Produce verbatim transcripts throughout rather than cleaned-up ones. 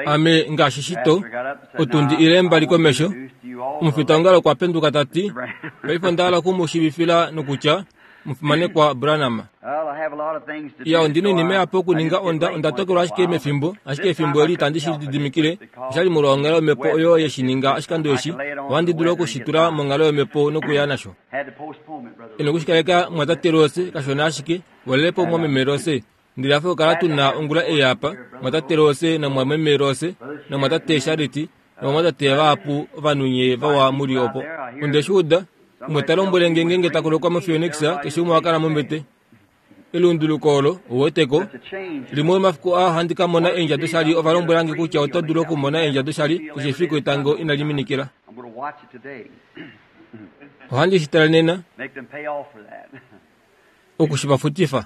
Ame ngaashi shito otundi ile mbali komesho omufitaongalo okwa penduka ta ti paife onda hala oku mu shiivifila nokutya omufimanekwa Branham. Iya, ondi na oinima ihapu okuninga, onda onda tokelwa ashike mefimbo, ashike efimbo eli itandi shi lididimikile. Oshali molwa onghalo yomhepo oyo ye shi ninga oshikando eshi, ohandi dulu oku shi tula monghalo yomhepo nokuya nasho. E noku shi kaleka mwatate Rose kashona ashike, walelepo mwameme Rose. Ndele hafe okukala tu na ongula ei apa, mwatate Rose namwameme Rose, namwatate Shariti, novamwatate vahapu ovanhu nye vawa mu li opo. Onde shi uda, umwe ta lombwele nge ngeenge ta kolokwa moPhoenix, keshe umwe oha kala mombete. Elunduluko olo, ouweteko. Limwe lomomafiku aa ohandi ka mona eendja doshali. Ova lombwela nge kutya oto dulu okumona eendja doshali keshe efiku etango inali minikila. Ohandi shi tale nena, oku shi va futifa.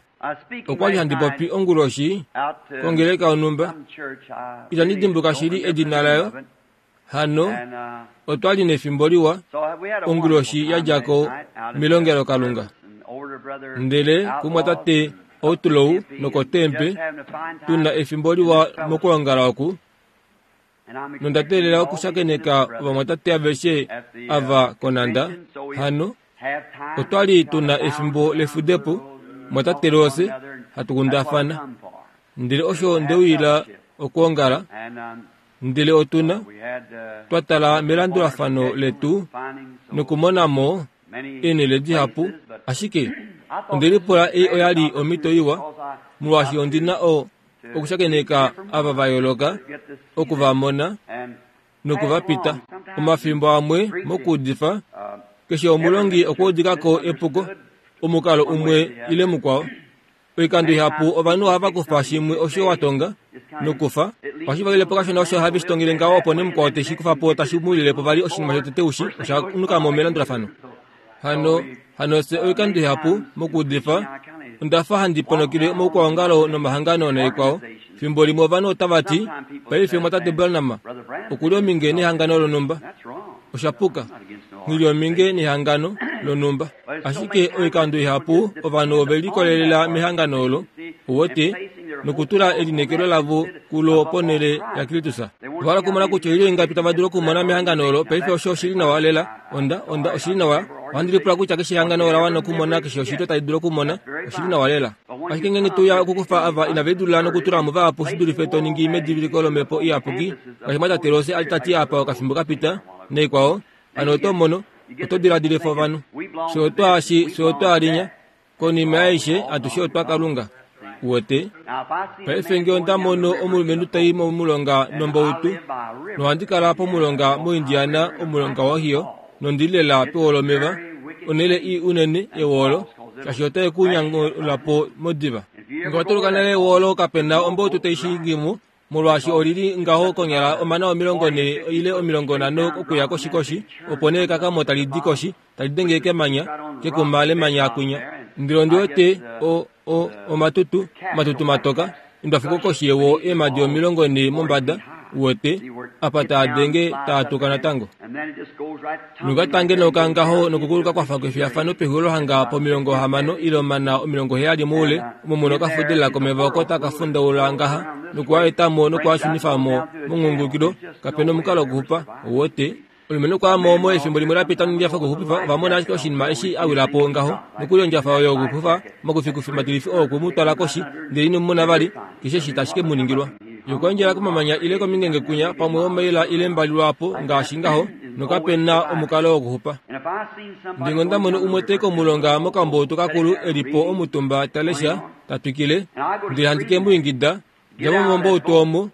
Okwa li handi popi onguloshi kongeleka yonhumba. Itandi dimbuluka shili edina layo. Hano otwa li nefimbo liwa onguloshi ya dja ko melongelokalunga. Ndele kumwatate Outlaw nokotempe, tu na efimbo liwa mokwoongala oku, nonda teelela okushakeneka ovamwatate aveshe ava konanda. Hano otwa li tu na efimbo lefudepo, mwatate Rose, hatu kundafana. Ndele osho nde uyila okwoongala. Ndele otu na, twa tala melandulafano letu nokumona mo eenhele dihapu, ashike onde lipula ei oya li omhito iwa, molwaashi ondi na o, okushakeneka ava va yooloka, oku va mona noku va pita. Omafimbo amwe mokuudifa, keshe omulongi okwa udika ko epuko, omukalo umwe ile mukwao. Oikando ihapu ovanhu ohava kufa shimwe osho wa tonga nokufa ohashi valile po kashona osho have shi tongele ngaho, opo nee mukwao te shi kufa po tashi mu lile po vali oshinima shotete ushi osha nuka mo melandulafano. Hano, hano fye oikando ihapu mokuudifa onda fa handi ponokele omaukwaongalo nomahangano naikwao. Fimbo limwe ovanhu otava ti, Paife mwatate Branham oku li ominge nehangano lonhumba. Osha puka. Nghi li ominge nehangano lonhumba. Ashike oikando ihapu ovanhu ove likolelela mehangano olo, uwete, nokutula elineekelo lavo kulo ponhele yaKristus. Ova hala okumona kutya oilyo ingapi tava dulu okumona mehangano olo. Paife osho oshi li nawa lela. Onda, onda, oshi li nawa. Ohandi lipula kutya keshe ehangano ola wana okumona keshe oshilyo tali dulu okumona. Oshi li nawa lela. Ashike ngeenge to uya okukufa ava inave dula nokutula mo vahapu shi dulife to ningi mediviliko lOmhepo Iyapuki, ngaashi mwatate Rose a li ta ti apa okafimbo ka pita, naikwao, hano oto mono, oto diladilifa ovanhu. Fye otwa shi, fye otwa linya. Konima yaishe, atushe otwa Kalunga. Uwete? Paife nge onda mono omulumenhu tai momulonga nombautu, nohandi kala pomulonga moIndiana, omulonga waOhio, nondi li lela pewo lomeva, onhele ii unene yewoolo, shaashi otai ku nyangula po modiva. Nge wa tuluka nale ewoolo, kape na ombautu tai shingi mo, molwaashi oli li ngaho konyala omana omilongo nhee ile omilongo nhano okuya koshi koshi, opo nee ekakamo tali di koshi, tali denge kemanya, kekuma lemanya kwinya. Ndele ondi wete o, o, omatutu, omatutu matoka, endwafuko koshi yewo eemhadi omilongo nhee mombada, uwete, apa taa denge taa tuka natango. Nokatange noka ngaho nokukuluka kwa fa kwefiyafano pexulilo hanga pomilongo hamano ile omana omilongo heyali moule, omo mu nokafudelela komeva oko taka fundaula ngaha, noku a eta mo noku a shunifa mo mongungulukilo, kape nomukalo wokuxupa, uwete. Omulumenhu okwa ya mo omo efimbo limwe la pita nondjafa yokuxupifa, ova mona ashike oshinima eshi a wila po ngaho, nokuli ondjafa oyo yokuxupifa omakufikufi matilifi oo okwe mu twala koshi, ndele ino mu mona vali, keshe eshi tashi ke mu ningilwa. Ye okwa endjela komamanya ile komingenge kwinya, pamwe omaila ile mbali lwaapo, ngaashi ngaho, nokape na omukalo wokuxupa. Ndele onda mono umwe te komulonga mokamboutu kakulu e li po omutumba ta lesha, ta twikile, ndele handi ke mu ingida, Dja mo momboutu omo,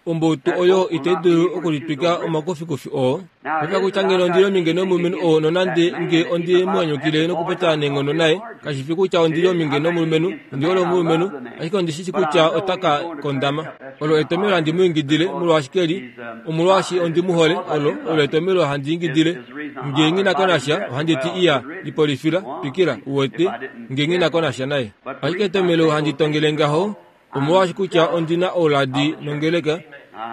Omboutu oyo itai dulu okulitwika omakufikufi oo. Paife kutya ngeno ondi li ominge nomulumenhu oo nonande nge ondi mu nyanyukile nokupopya neenghono naye, kashi fi kutya ondi li ominge nomulumenhu, ondi hole omulumenhu, ashike ondi shi shii kutya ota ka kondama. Olo etomhelo handi mu ingidile, molwaashi ke li, omolwaashi ondi mu hole, olo, olo etomhelo handi ingidile. Nge nghi na ko nasha, ohandi ti, Iya, lipolifila, twikila, uwete, nge nghi na ko nasha naye. Ashike etomhelo handi tongele ngaho, Omolwaashi kutya ondi na ouladi nongeleka,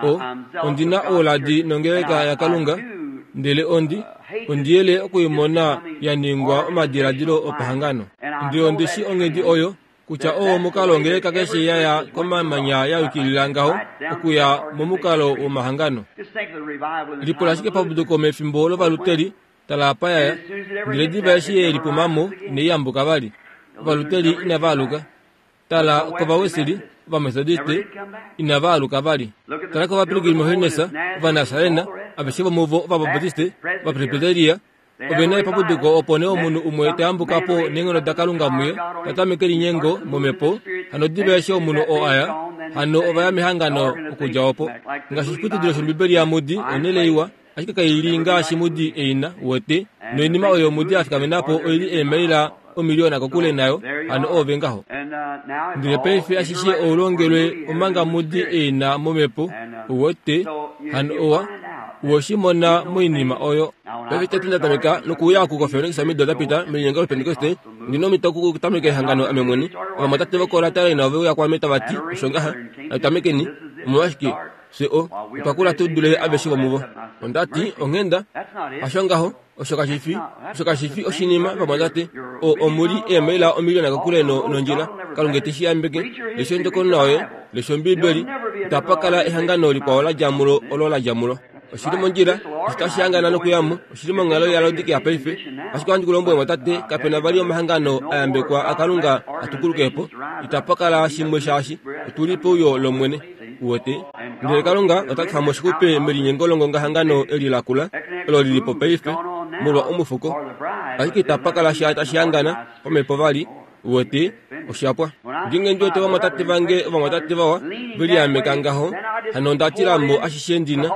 o, ondi na ouladi nongeleka yaKalunga, ndele ondi, ondi yele oku i mona ya ningwa omadiladilo opahangano. Ndele ondi shi onghedi oyo Kutya oo omukalo ongeleka keshe yaya komamanya ya yukilila ngaho okuya momukalo womahangano. Lipula ashike pabuduko mefimbo lovaluteli tala apa yaya ndele diva eshi ye lipumamo inai vali. Ovaluteli inava aluka. Tala kovawesili ovamethodiste inava aluka vali. Tala kovapilgrim holiness ovanasarena aveshe vomuvo ovabaptiste ovapresbiteria ovena epapuduko opo nee omunhu umwe tayambuka po neenghono daKalunga muye tatameke linyengo momhepo hano diva eshi omunhu oo aya hano ovaya mehangano okudja opo. Ngaashi oshiputudilo shOmbibeli yaMudi onhele iwa ashike kaili ngaashi Mudi eina wete noinima oyo Mudi afikamena po oili eemaila omiliona kokule nayo hano ove ngaho. Ndele paife ashishe oulongelwe omanga Mudi eina momhepo wete hano owa woshimona moinima oyo. Paife tete ndatameka nokuuya kukofeonekisa omido dapita melinyengo lopentekoste ndina omhito okutameka ehangano ame mwene. Ovamwatate vokolatalaina ove uya kwaame tava ti osho ngaha natutamekeni omolwashike fye o otwa kula tu dule aveshe vomuvo. Ondati onghenda hasho ngaho osho kashifi osho kashifi oshinima vamwatate o omuli eemaila omiliona kokule nondjila. Kalunga te shi yambeke lesha ondjokonona yoye lesha Ombibeli itapa kala ehangano likwao la dja mulo olo la dja mulo. Oshili mondjila oshitashi hangana nokuyamo oshili monghalo yaLaodikea paife. Ashike ohandi ku lombwele mwatate kapena vali omahangano ayambekwa aKalunga atukulukepo itapa kala shimwe shaashi otuli peuyo lOmwene uwete. Ndele Kalunga ota kufa mo oshixupe melinyengo longongahangano eli lakula olo lilipo paife molwa omufuko ashike itapa kala sha tashi hangana pamhepo vali uwete oshapwa. Ngeenge ndi wete ovamwatate vange ovamwatate vawa veliameka ngaho hano onda tilamo ashishe ndina.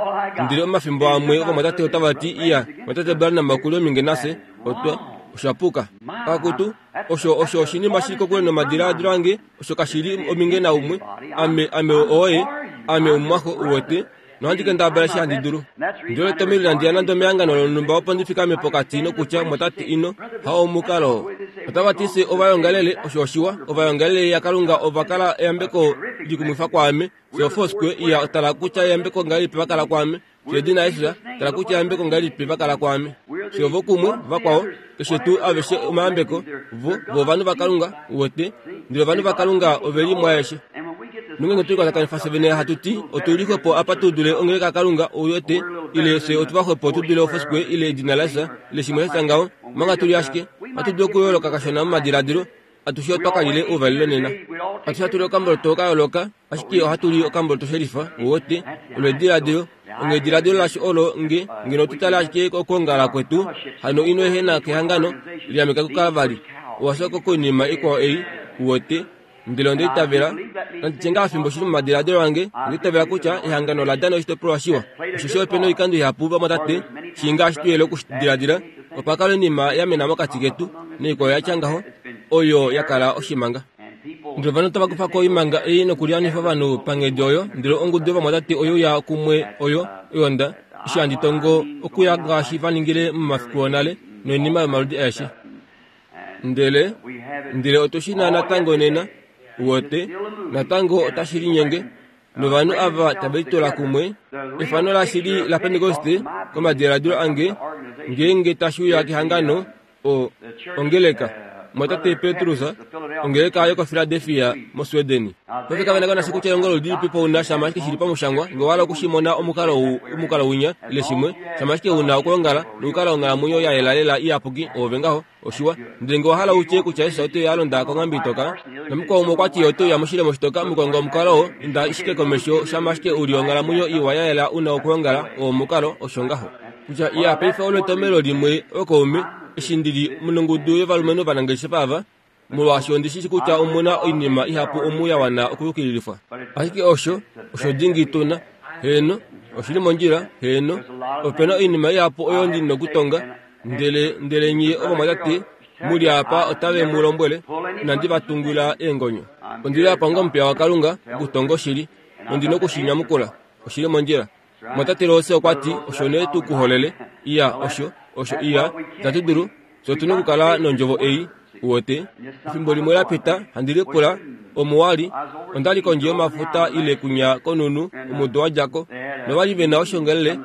Ndele omafimbo amwe ovamwatate otava ti iya mwatate Branham okuli ominge nafye otwa oshapuka. Akutu osho osho oshinima shili kokule nomadiladilo ange osho kashili ominge naumwe ame ame oye ame omumwaxo uwete nohandi kendabala eshi handi dulu. Ndele tomili landiya nande mehangano lonhumba opo ndi fikame pokati nokutya mwatate ino hao omukalo. Otava ti se ovayongalele osho oshiwa ovayongalele yaKalunga ova kala eyambeko likumwifa kwaame. Se Foursquare iya tala kutya eyambeko ngahelipi va kala kwaame. Se Edina Yesus tala kutya eyambeko ngahelipi va kala kwaame. Se ovo kumwe vakwao keshe tuu aveshe omayambeko vo vovanhu vaKalunga uwete. Ndele ovanhu vaKalunga oveli mwaeshe. Nongenge tuli kwatakanifwa fye vene hatu ti otuli xwepo apa tu dule ongeleka yaKalunga uwete ile fye otuva xwepo tu dule oFoursquare ile Edina laJesus ile shimwe sha ngaho omanga tuli ashike ohatu dulu okuyooloka kashona momadiladilo atushe otwa kalile ouvalelo nena. Atushe ohatu li okamboloto ka yooloka ashike ohatu li okamboloto shelifa uwete olo ediladilo ongediladilo lasho olo nge ngeno tutale ashike okwoongala kwetu hano ino ehena kehangano liameka kukala vali owashoko koinima ikwao ei uwete. Ndele onda itavela nanditye ngaa fimbo shili momadiladilo ange onda itavela kutya ehangano ola dana oshitopolwa shiwa. Oshoshi ope noikando ihapu vamwatate shii ngaashi tuyele okushidiladila opa kala oinima ya mena mokati ketu noikwao yatya ngaho oyo ya kala oshimanga. Ndele ovanhu otava kufa ko oimanga ei nokulianifa ovanhu panghedi oyo. Ndele ongudu yovamwatate oyo ya kumwe oyo oyonda eshi handi tongo okuya ngaashi va ningile momafiku onale noinima yomaludi aeshe. Ndele ndele otu shi na natango nena uwete natango otashi linyenge novanhu ava tave litola kumwe. Efano lashili la Pentekoste komadiladilo ange ngeenge tashi uya kehangano o ongeleka mwatate Petrus ongeleka yokoFiladelfia moSweden. Paife kave na kutya elongo lilipi po una shama ashike shili pamushangwa nge owa hala okushimona omukalo omukalo winya ile shimwe shama ashike una okwoongala nokukala onghalamwenyo ya yela lela iyapuki oove ngaho oshiwa. Ndele nge owa hala utye kutya Jesus ote ya alonda konghambi itoka namukwao umwe okwa ti ote uya moshilemo shitoka mukonga omukalo oo inda ashike komesho shama ashike uli onghalamwenyo iwa ya yela una okwoongala oo omukalo osho ngaho. Kutya iya paife olo etomelo limwe okoume eshi ndili mongudu yovalumenhu ovanangeshefa ava molwaashi ondi shi kutya omuna oinima ihapu omu ya wana okuyukililifwa. Ashike osho osho dingi tuna heeno oshili mondjila heeno opena oinima ihapu oyo ndi nokutonga. Ndele ndele nye ovamwatate muli apa otave mu lombwele inandi va tungila eengonyo. Ondili apa onga omupiya waKalunga okutonga oshili nondi nokushinyamukula oshili mondjila. Mwatate Rose okwa ti osho nee tu kuholele iya osho osho iya itatu dulu fye otuna okukala nondjovo ei uwete. Efimbo limwe la pita handi lipula omuwali ondali kondje yomafuta ile kunya konunu omudo wa djako novali vena oshiongelele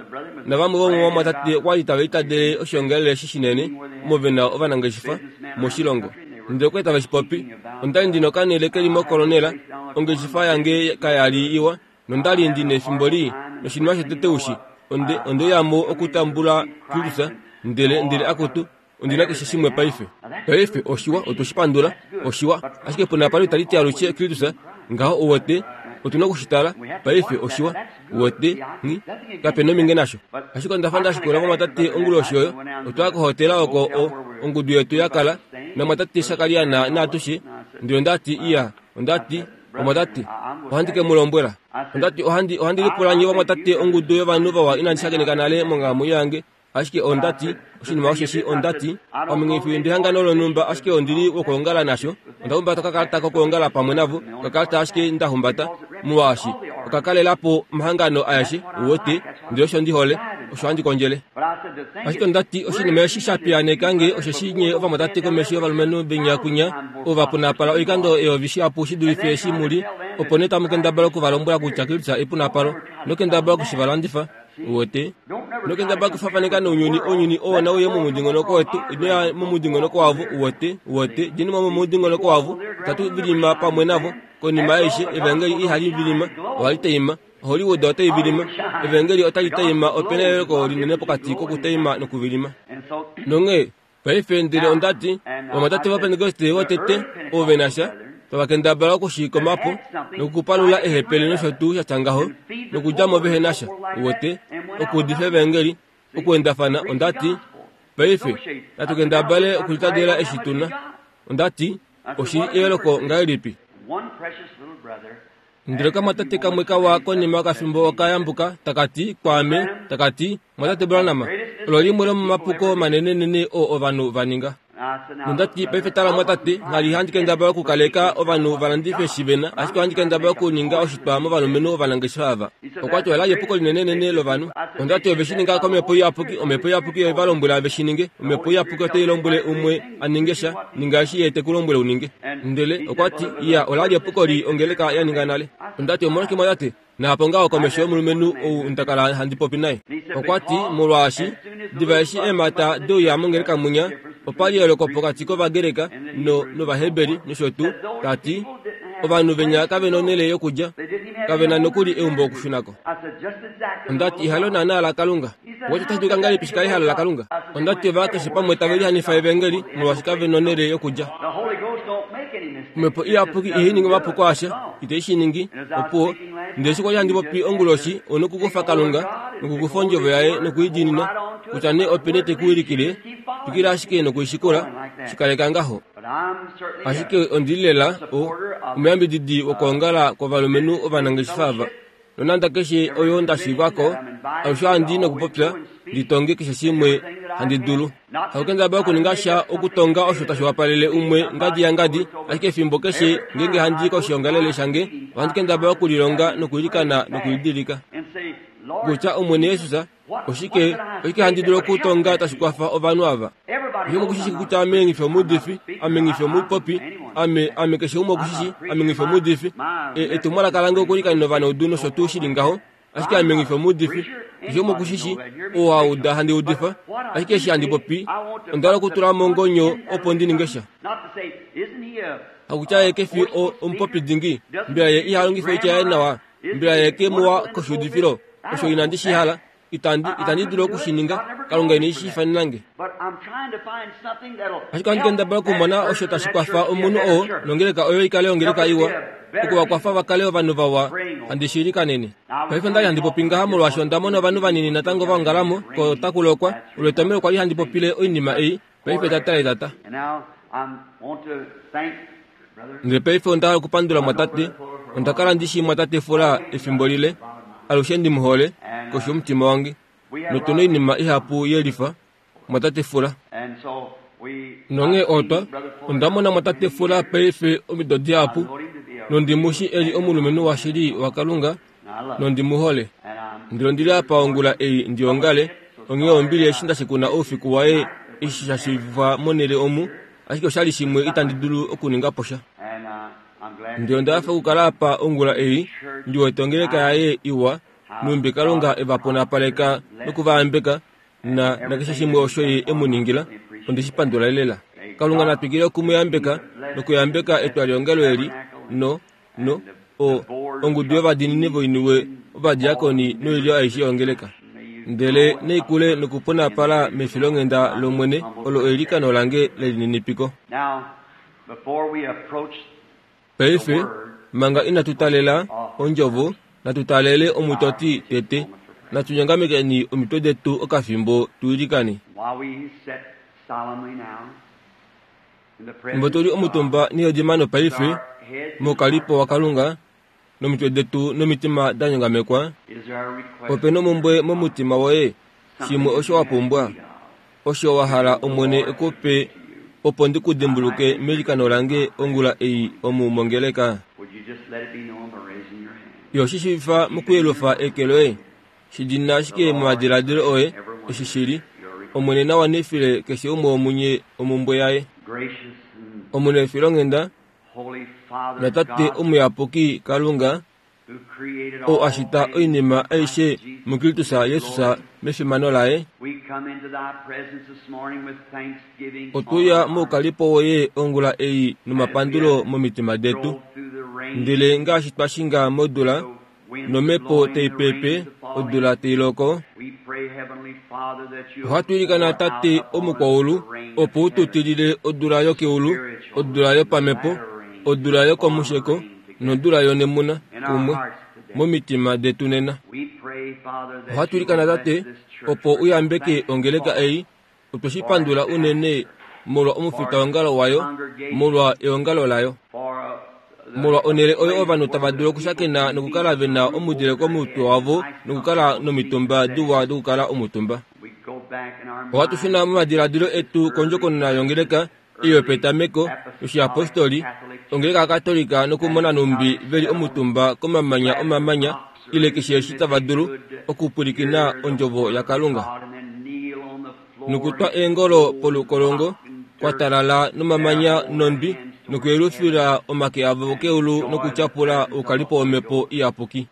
navamwe vomovamwatate okwali tava itadele oshiongelele eshi shinene omo vena ovanangeshefa moshilongo. Ndele okwa tava shi popi. Onda li ndi nokanele ke li mokolonela, ongeshefa yange kaya li iwa, nonda li ndi nefimbo lii, noshinima shotete ushi, onde onde ya mo okutambula Kristus, ndele ndele akutu, ondina keshe shimwe paife. Paife oshiwa otwe pandula, oshiwa, ashike punapalo itali ti alushe Kristus, ngaho uwete, otuna okushitala, paife oshiwa, uwete, ngi, kape nominge nasho. Ashike onda fa nda shikula vamwatate onguloshi oyo, otwa kohotela oko o, ongudu yetu ya kala, namwatate Sakaria na naatushe, ndele ondati iya, ondati, omwatate, ohandi ke mu lombwela. Ondati ohandi ohandi lipula nye vamwatate ongudu yovanhu vawa inandi shakeneka nale monghalamwenyo yange. Ashike ondati, oshinima osheshi ondati, ame ndihangano lonhumba, ashike ondili wokuongala nasho. Onda humbata okakalata kokuongala pamwe navo, okakalata ashike nda humbata, molwaashi okakalelapo omahangano aeshe, uwete, ndele osho ndi hole, osho handi kondjele. Ashike ondati oshinima eshi sha piyaaneka nge osheshi nye ovamwatate komesho yovalumenhu benyakunya, ovapunapala oikando eyovi shihapu shi dulife eshi muli, opo nee tamu kendabala okuvalombwela kutya Kristus epunapalo, nokendabala okushivalandifa. Uwete, nokendabala okufafaneka nounyuni, ounyuni oo nauye momudingonoko wetu, inoya momudingonoko wavo, uwete, uwete, djeni mo momudingonoko wavo, itatu vilima pamwe navo, konima aishe, evangeli ihali vilima, ohali taima, Hollywood otai vilima, evangeli otali taima, opena eyooloko linene pokati kokutaima nokuvilima. Nonghee, paife ndele ondati, ovamwatate vaPentekoste votete, ovo ve na sha, tavakendabala okushikomapo nokupalula ehepele nosho tuu sha tya ngaho, nokudja mo vehe na sha, uwete, okuudifa evangeli, okuendafana, ondati, paife, natu kendabale okulitadela eshi tuna. Ondati, oshili eyooloko ngahelipi? Ndele kamwatate kamwe kawa konima yokafimbo okayambuka, takati kwaame, takati, mwatate Branham, olo limwe lomomapuko manenenene oo ovanhu va ninga. Nondati paife tala mwatate, nghali handi kendabala okukaleka ovanhu valandife eshi vena, ashike ohandi kendabala okuninga oshitwa movanlumenhu ovanangeshefa ava. Okwa ti ola li epuko linenenene lovanhu. Ondati ove shi ninga komhepo iyapuki, omhepo iyapuki ove va lombwela ve shi ninge, omhepo iyapuki otai lombwele umwe a ninge sha, ninga eshi ye te ku lombwele u ninge. Ndele okwa ti iya, ola li epuko li ongeleka ya ninga nale. Ondati omolwashike mwatate, naapo ngaho komesho yomulumenhu ou nda kala handi popi naye. Okwa ti molwaashi diva eshi eemhata deuya mongeleka munya, opa li eyooloko pokati kOvagreka no nOvaheberi nosho tuu, tati ovanhu venya kave na onhele yokulya, kave na nokuli eumbo okushunako. Ondati ehalo naanaa laKalunga. Okwa ti otashi dulika ngahelipi shi kale ehalo laKalunga? Ondati ova keshe pamwe tave lihanifa evangeli molwaashi kave na onhele yokulya. Omhepo iyapuki ihai ningi omapuko asha, itai shi ningi, opuwo. Ndele eshi kwali handi popi onguloshi, onokukufa Kalunga, nokukufa ondjovo yaye nokuidiinina, kutya nee openi te ku wilikile, twikila ashike nokuishikula, shikaleka ngaho. Ashike ondi li lela o, omuyambididi wokwoongala kwovalumenhu ovanangeshefa ava. Nonande keshe oyo nda shiivako, alushe handi nokupopya, ndi tonge keshe shimwe handi dulu. Hakukendabala okuninga sha okutonga osho tashi wapalele umwe ngadi ya ngadi, ashike efimbo keshe ngeenge handi koshiongalele shange, ohandi kendabala okulilonga nokuilikana nokulidilika. Kutya Omwene Jesus, oshike oshike handi dulu okutonga tashi kwafa ovanhu ava? Keshe umwe okushishi kutya ame ngifi omuudifi, ame ngifi omupopi, ame ame keshe umwe okushishi ame ngifi omuudifi. Etumwalaka lange okulikanena ovanaudu nosho tuu shili ngaho, ashike ame ngifi omuudifi. Keshe umwe okushishi oo a uda handi udifa, ashike eshi handi popi, onda hala okutula mongonyo opo ndi ninge sha. Hakutya ye kefi omupopi dingi, mbela ye iha longifa oitya yaye nawa, mbela ye ke muwa koshiudifilo, osho inandi shi hala, itandi itandi dulu oku shi ninga, Kalunga ine shi ifanena nge. Ashike ohandi kendabala okumona osho tashi kwafa omunhu oo nongeleka oyo ikale ongeleka iwa, oku va kwafa va kale ovanhu vawa, handi shi ilikanene. Paife onda li handi popi ngaha molwaashi onda mona ovanhu vanini natango va ongalamo, ko otaku lokwa, olo etomhelo kwa li handi popile oinima ei, paife tata etata. Ndele paife onda hala okupandula mwatate, onda kala ndi shii mwatate Fula efimbo lile, alushe ndi mu hole, koshi yomutima wange. Notu na oinima ihapu yelifa, mwatate Fula. Nonghee otwa, onda mona mwatate Fula paife omido dihapu, nondi mu shii e li omulumenhu washili waKalunga, nondi mu hole. Ndele ondi li apa ongula ei ndi ongale, onghee ombili eshi nda shikuna oufiku waye eshi sha shiivifwa monhele omu, ashike oshali shimwe itandi dulu okuninga po sha. Ndele onda hafa okukala apa ongula ei, ndi wete ongeleka yaye iwa, numbi Kalunga e va punapaleka noku va yambeka, na nakeshe shimwe osho ye e mu ningila, onde shi pandula lela. Kalunga na twikile okumuyambeka nokuyambeka etwaliongalo eli no no o ongudu yovadiinini voiniwe ovadiakoni noilyo aishe yongeleka. Ndele neikule nokuponapala mefilonghenda lOmwene olo eilikano lange lelininipiko. Paife manga inatu talela ondjovo, natu talele omutoti tete. Natu nyongamekeni omitwe detu okafimbo tu ilikane. Fimbo tuli omutumba neyodimano paife mokalipo waKalunga nomitwe detu nomitima da nyongamekwa, opena omumbwe momutima woye, shimwe osho wa pumbwa, osho wa hala Omwene ekupe, opo ndi ku dimbuluke meilikano lange ongula ei omu mongeleka. Yo shi shiivifa mokuyelufa eke loye, shi dina ashike momadiladilo oye eshi shili. Omwene na wanifile keshe umwe womunye omumbwe yaye. Omunefilonghenda naTate omuyapuki Kalunga, oo a shita oinima aishe muKristus Jesus mefimano laye, otwe uya moukalipo woye ongula ei nomapandulo momitima detu. Ndele ngaashi twa shinga modula, nomhepo tai pepe, odula tai loko, ohatu ilikana Tate omukwaulu opo u tu tilile odula yokeulu, odula yopamhepo, odula yokomusheko nodula yonemuna kumwe momitima detu nena. Ohatu ilikana Tate opo u yambeke ongeleka ei. Otwe shi pandula unene molwa omufitaongalo wayo, molwa eongalo layo, molwa onhele oyo ovanhu tava dulu okushakena nokukala ve na omudile komutwe wavo nokukala nomitumba diwa dokukala omutumba. Ohatu shuna momadiladilo etu kondjokonona yongeleka ei yopetameko yoshiapostoli, ongeleka yaKatolika, nokumona nhumbi veli omutumba komamanya omamanya ile keshe eshi tava dulu okupwilikina ondjovo yaKalunga, nokutwa eengolo polukolongo kwa talala nomamanya nondwi, nokuyelufila omake avo keulu nokutyapula oukalipo womhepo iyapuki.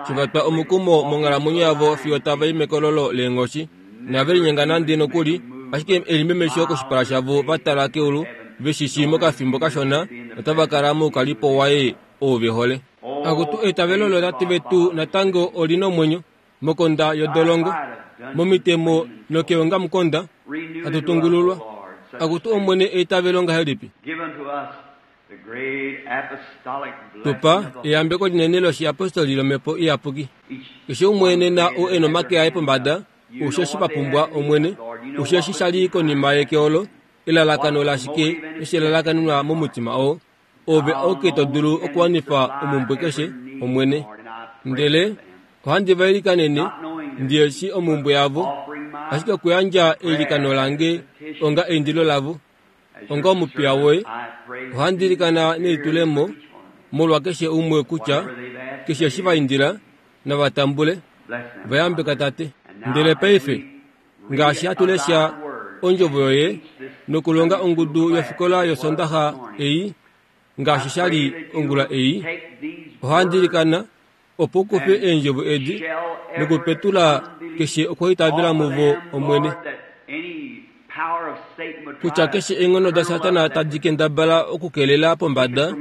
Shivatwa omukumo monghalamwenyo yavo fiyo tava i mekololo leenghoshi, nave linyenga nande nokuli, ashike elimemesho koshipala shavo va tala keulu, veshishi mokafimbo kashona otava kala moukalipo waye oo ve hole. Akutu eitavelo lootate vetu natango oli nomwenyo mokonda yodolongo, momitemo nokeongamukonda hatu tungululwa. Akutu Omwene eitavelo ngahelipi? Tupa eyambeko linene loshiapostoli lomhepo iyapuki. Keshe umwe nena oo e nomake aye pombada, usheshi va pumbwa Omwene, usheshi shali konima yekeolo, elalakano lashike eshi elalakanenwa momutima oo, ove auke to dulu okuwanifa omumbwe keshe, Omwene. Ndele ohandi va ilikanene, ndiyeshi omumbwe yavo, ashike okuyandja eilikano lange onga eindilo lavo, onga omupiya woye, ohandi ilikana nelitulemo molwa keshe umwe kutya keshe eshi va indila nava tambule, va yambeka Tate. Ndele paife ngaashi hatu lesha ondjovo yoye nokulonga ongudu yofikola yosondaxa ei, ngaashi sha li ongula ei, ohandi ilikana opo u kufe eendjovo edi nokupetula keshe okwaitavela muvo, Omwene, kutya keshe eenghono daSatana tadi kendabala okukelela pombada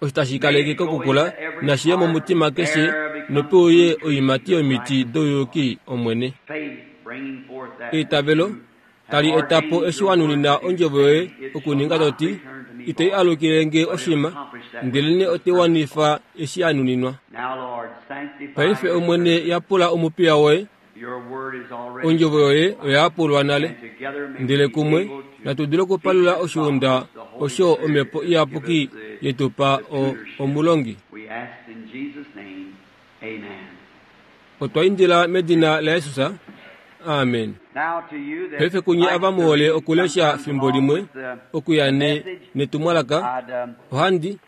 osho tashi kaleke kokukula, nashi ye momutima keshe nope uye oiimati yomiti douyuki, Omwene. Eitavelo tali eta po eshi wa nunina ondjovo yoye okuninga toti, itai alukile nge oshima, ndelenee otai wanifa eshi ya nuninwa. Paife Omwene yapula omupiya woye, ondjovo yoye oya yapulwa nale, ndele kumwe natu dule okupalula oshiunda osho omhepo iyapuki yetupa omulongi. Otwa indila medina laJesus. Amen. Paife kunye ava muhole okulesha fimbo limwe okuya ne netumwalaka, ohandi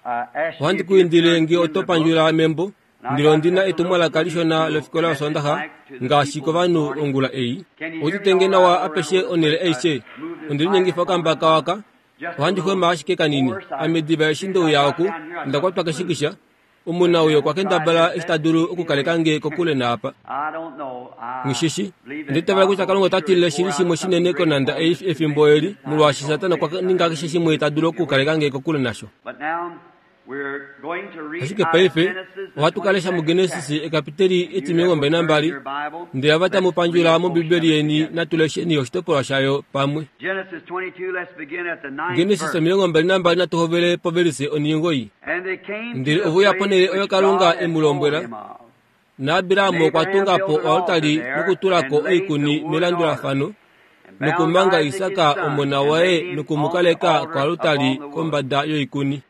ohandi ku indile nge oto pandjula membo, ndele ondi na etumwalaka lishona lofikola yosondaxa ngaashi kovanhu ongula ei. Outitenge nawa apeshe onhele aishe, ondi linyengifa okambaka waka, ohandi xwema ashike kanini. Ame diva eshi ndeuya oku, onda kwatwa keshikisha, Omunauyo okwa kendabala eshi ta dulu okukaleka nge kokule naapa. Ngishishi, nditavela kutya Kalunga ota tilile shili shimwe shinene konanda ei efimbo eli, molwaashi Satana okwa ninga keshe shimwe ta dulu okukaleka nge kokule nasho. Ashike paife ohatu ka lesha muGenesis ekapiteli etimilongo mbali nambali, ndele ava tamu pandjula mOmbibeli yeni natu lesheni oshitopolwa shayo pamwe. Genesis omilongo mbali nambali natu hovele povelise oningoi. Ndele ove uya ponhele oyo Kalunga e mu lombwela. NaAbraham okwa tunga po oaltari nokutula ko oikuni melandulafano, nokumanga Isak omona waye nokumukaleka koaltari kombada yoikuni.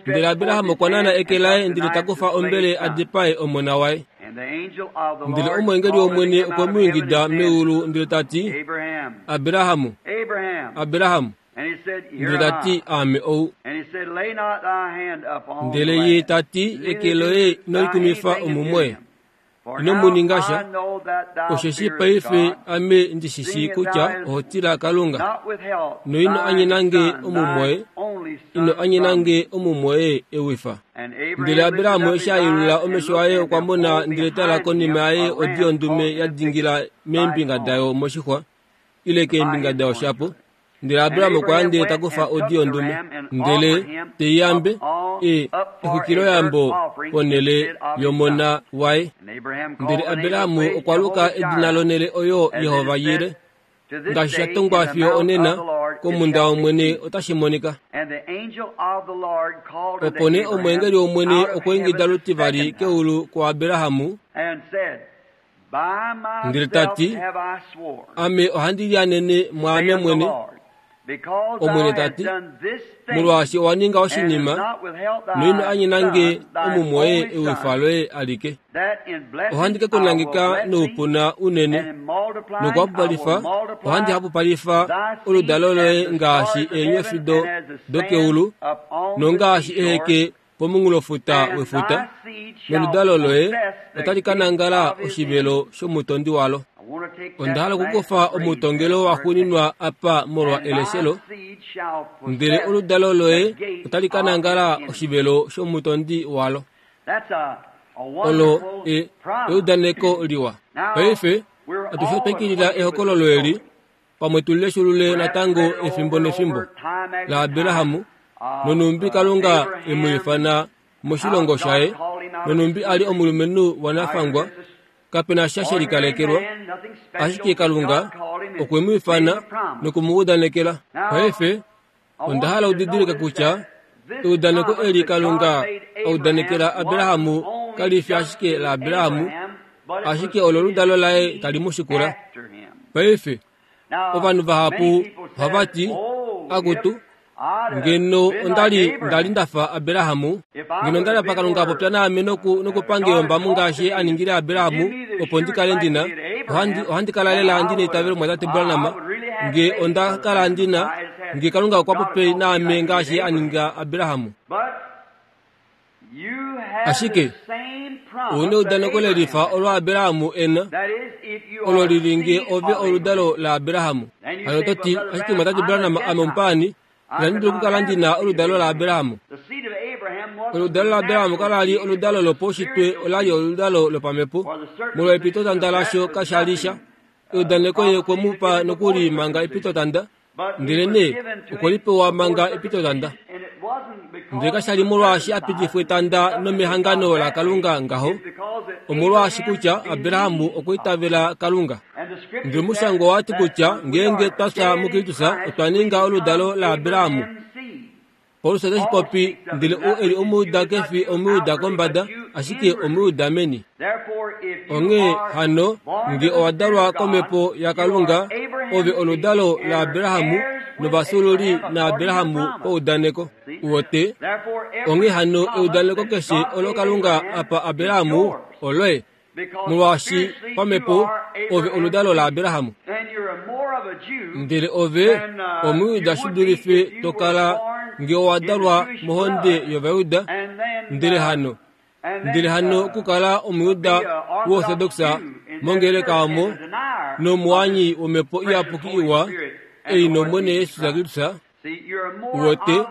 Ndele Abraham okwa nana eke laye ndele ta kufa ombele a dipae omona waye. Ndele omweengeli wOmwene okwe mu ingida meulu ndele ta ti, Abraham, Abraham. Ndele ta ti, Aame ou. Ndele ye ta ti, eke loye ino likumifa omumwoye, ino mu ninga sha, osheshi paife ame ndi shi shii kutya oho tila Kalunga, noino anyena nge omumwoye, ino anyena nge omumwoye ewifa. Ndele Abraham eshi a yelula omesho aye okwa mona ndele tala konima yaye odi yondume ya dingila meembinga dayo moshixwa, ile keembinga dayo shapo. Ndele Abraham okwa ya ndele ta kufa odi yondume, ndele te i yambe e exwikiloyambo ponhele yomona waye. Ndele Abraham okwa luka edina lonhele oyo Yehova Jire, ngaashi sha tongwa fiyo onena komunda wOmwene otashi monika. Opo nee omweengeli wOmwene okwa ingida lutivali keulu kuAbraham, ndele ta ti, Ame ohandi lianene mwaame mwene, Omwene ta ti, molwaashi owa ninga oshinima, noino anyena nge omumwoye ewifa loye alike. Ohandi ke ku nangeka noupuna unene, nokuhapupalifa ohandi hapupalifa oludalo loye ngaashi eenyofi dokeulu, nongaashi eheke pomunghulofuta wefuta, noludalo loye otali ka nangala oshivelo shomutondi walo. Onda hala okukufa omutongelo wa xuuninwa apa molwa eleshelo, ndele oludalo loye otali ka nangala oshivelo shomutondi walo. Olo e eudaneko liwa. Paife atushe otwa ikilila ehokololo eli, pamwe tulileshulule natango efimbo nefimbo laAbraham, nonumbi Kalunga e mu ifana moshilongo shaye, nonumbi ali omulumenhu wanafangwa, kapena sha she likalekelwa, ashike Kalunga okwe mu ifana noku mu udanekela. Paife onda hala udidilike kutya eudaneko eli Kalunga a udanekela Abraham kali fi ashike laAbraham, ashike olo oludalo laye tali mu shikula. Paife ovanhu vahapu ohava ti, akutu, ngeno ondali ndali ndafa Abraham, ngeno ndali apa Kalunga popya naame noku nokupange ombamu ngaashi a ningile Abraham, opo ndi kale ndina, ohandi ohandi kala lela ndina eitavelo mwatate Branham, nge onda kala ndina, nge Kalunga okwa popi naame ngaashi a ninga Abraham. Ashike ouna eudaneko lelifa olo Abraham ena, olo lili nge ove oludalo laAbraham. Hano to ti, ashike mwatate Branham ame omupaani, inandi dula okukala ndina oludalo laAbraham. Oludalo laAbraham kalali oludalo lopaushitwe, olali oludalo lopamhepo, molwa epitotanda lasho kashali sha. Eudaneko ye okwe mu pa nokuli manga epitotanda, ndele nee okwe li pewa manga epitotanda. Ndele kashali molwaashi a pitifwa etanda nomehangano laKalunga ngaho, omolwaashi kutya Abraham okwa itavela Kalunga. Ndele omushangwa owa ti kutya ngeenge twa fya muKristus otwa ninga oludalo laAbraham. Paulus otashi popi, ndele ou eli Omuyuda ke fi Omuyuda kombada, ashike Omuyuda meni. Onghee hano, nge owa dalwa komhepo yaKalunga, ove oludalo laAbraham novafyuululi naAbraham paudaneko. Uwote, onghee hano eudaneko keshe olo Kalunga apa Abraham oloye, molwaashi pamhepo ove oludalo laAbraham. Ndele ove Omuyuda shi dulife to kala nge owa dalwa mohonde yOvayuda, ndele hano ndele hano okukala Omuyuda woorthodoxa mongeleka omo nomuanyi womhepo iyapuki iwa ei nOmwene Jesus Kristus. Uwote,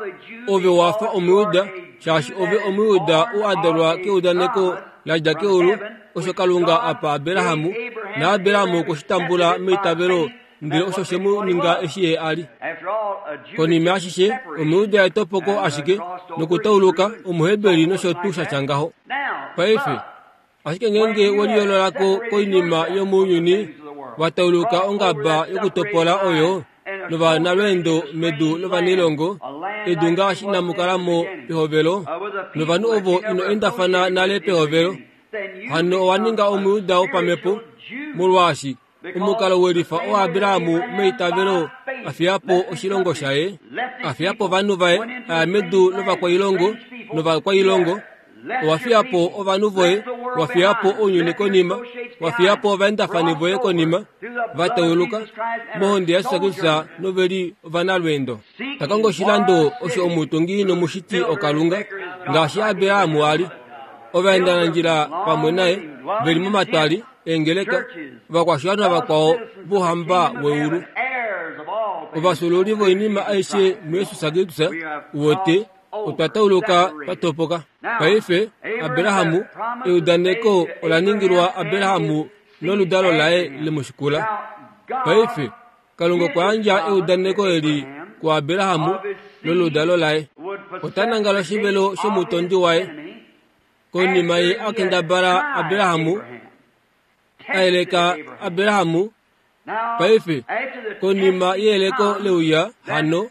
ove wafa Omuyuda Shaashi ove Omuyuda u a dalwa keudaneko la dja keulu, osho Kalunga apa Abrahamu, na Abrahamu okwe shi tambula meitavelo, ndele osho she mu ninga eshi ye a li. Konima ashishe, Omuyuda etopoko ashike, nokutauluka Omuheberi nosho tuu sha tya ngaho. Paife, ashike ngeenge we liyoolola ko koinima yomounyuni, wa tauluka ongaba yokutopola oyo, novanalweendo medu lovanailongo, edu ngaashi inamu kala mo pehovelo, novanhu ovo ino endafana nale pehovelo, hano owa ninga Omuyuda wopamhepo, molwaashi omukalo welifa oAbrahamu meitavelo a fiya po oshilongo shaye, a fiya po ovanhu vaye, a ya medu lovakwailongo novakwailongo. Owa fiya po ovanhu voye, wa fiya po ounyuni konima, wa fiya po ovaendafani voye konima, va tauluka mohonde yaJesus Kristus nove li ovanalweendo. Ta kongo oshilando osho omutungi nomushiti oKalunga, ngaashi Abrahamu a li. Ovaendanandjila pamwe naye ve li momatwali eengeleka, ovakwashiwana vakwao vouhamba weulu, ovasululi voinima aishe muJesus Kristus, wote otwa tauluka twa topoka. Paife Abrahamu, eudaneko ola ningilwa Abrahamu noludalo laye lemushikula. Paife Kalunga okwa yandja eudaneko eli kuAbrahamu noludalo laye. Ota nangala oshivelo shomutondi waye. Konima ye a kendabala Abrahamu, a yeleka Abrahamu. Paife konima yeyeleko leuya hano,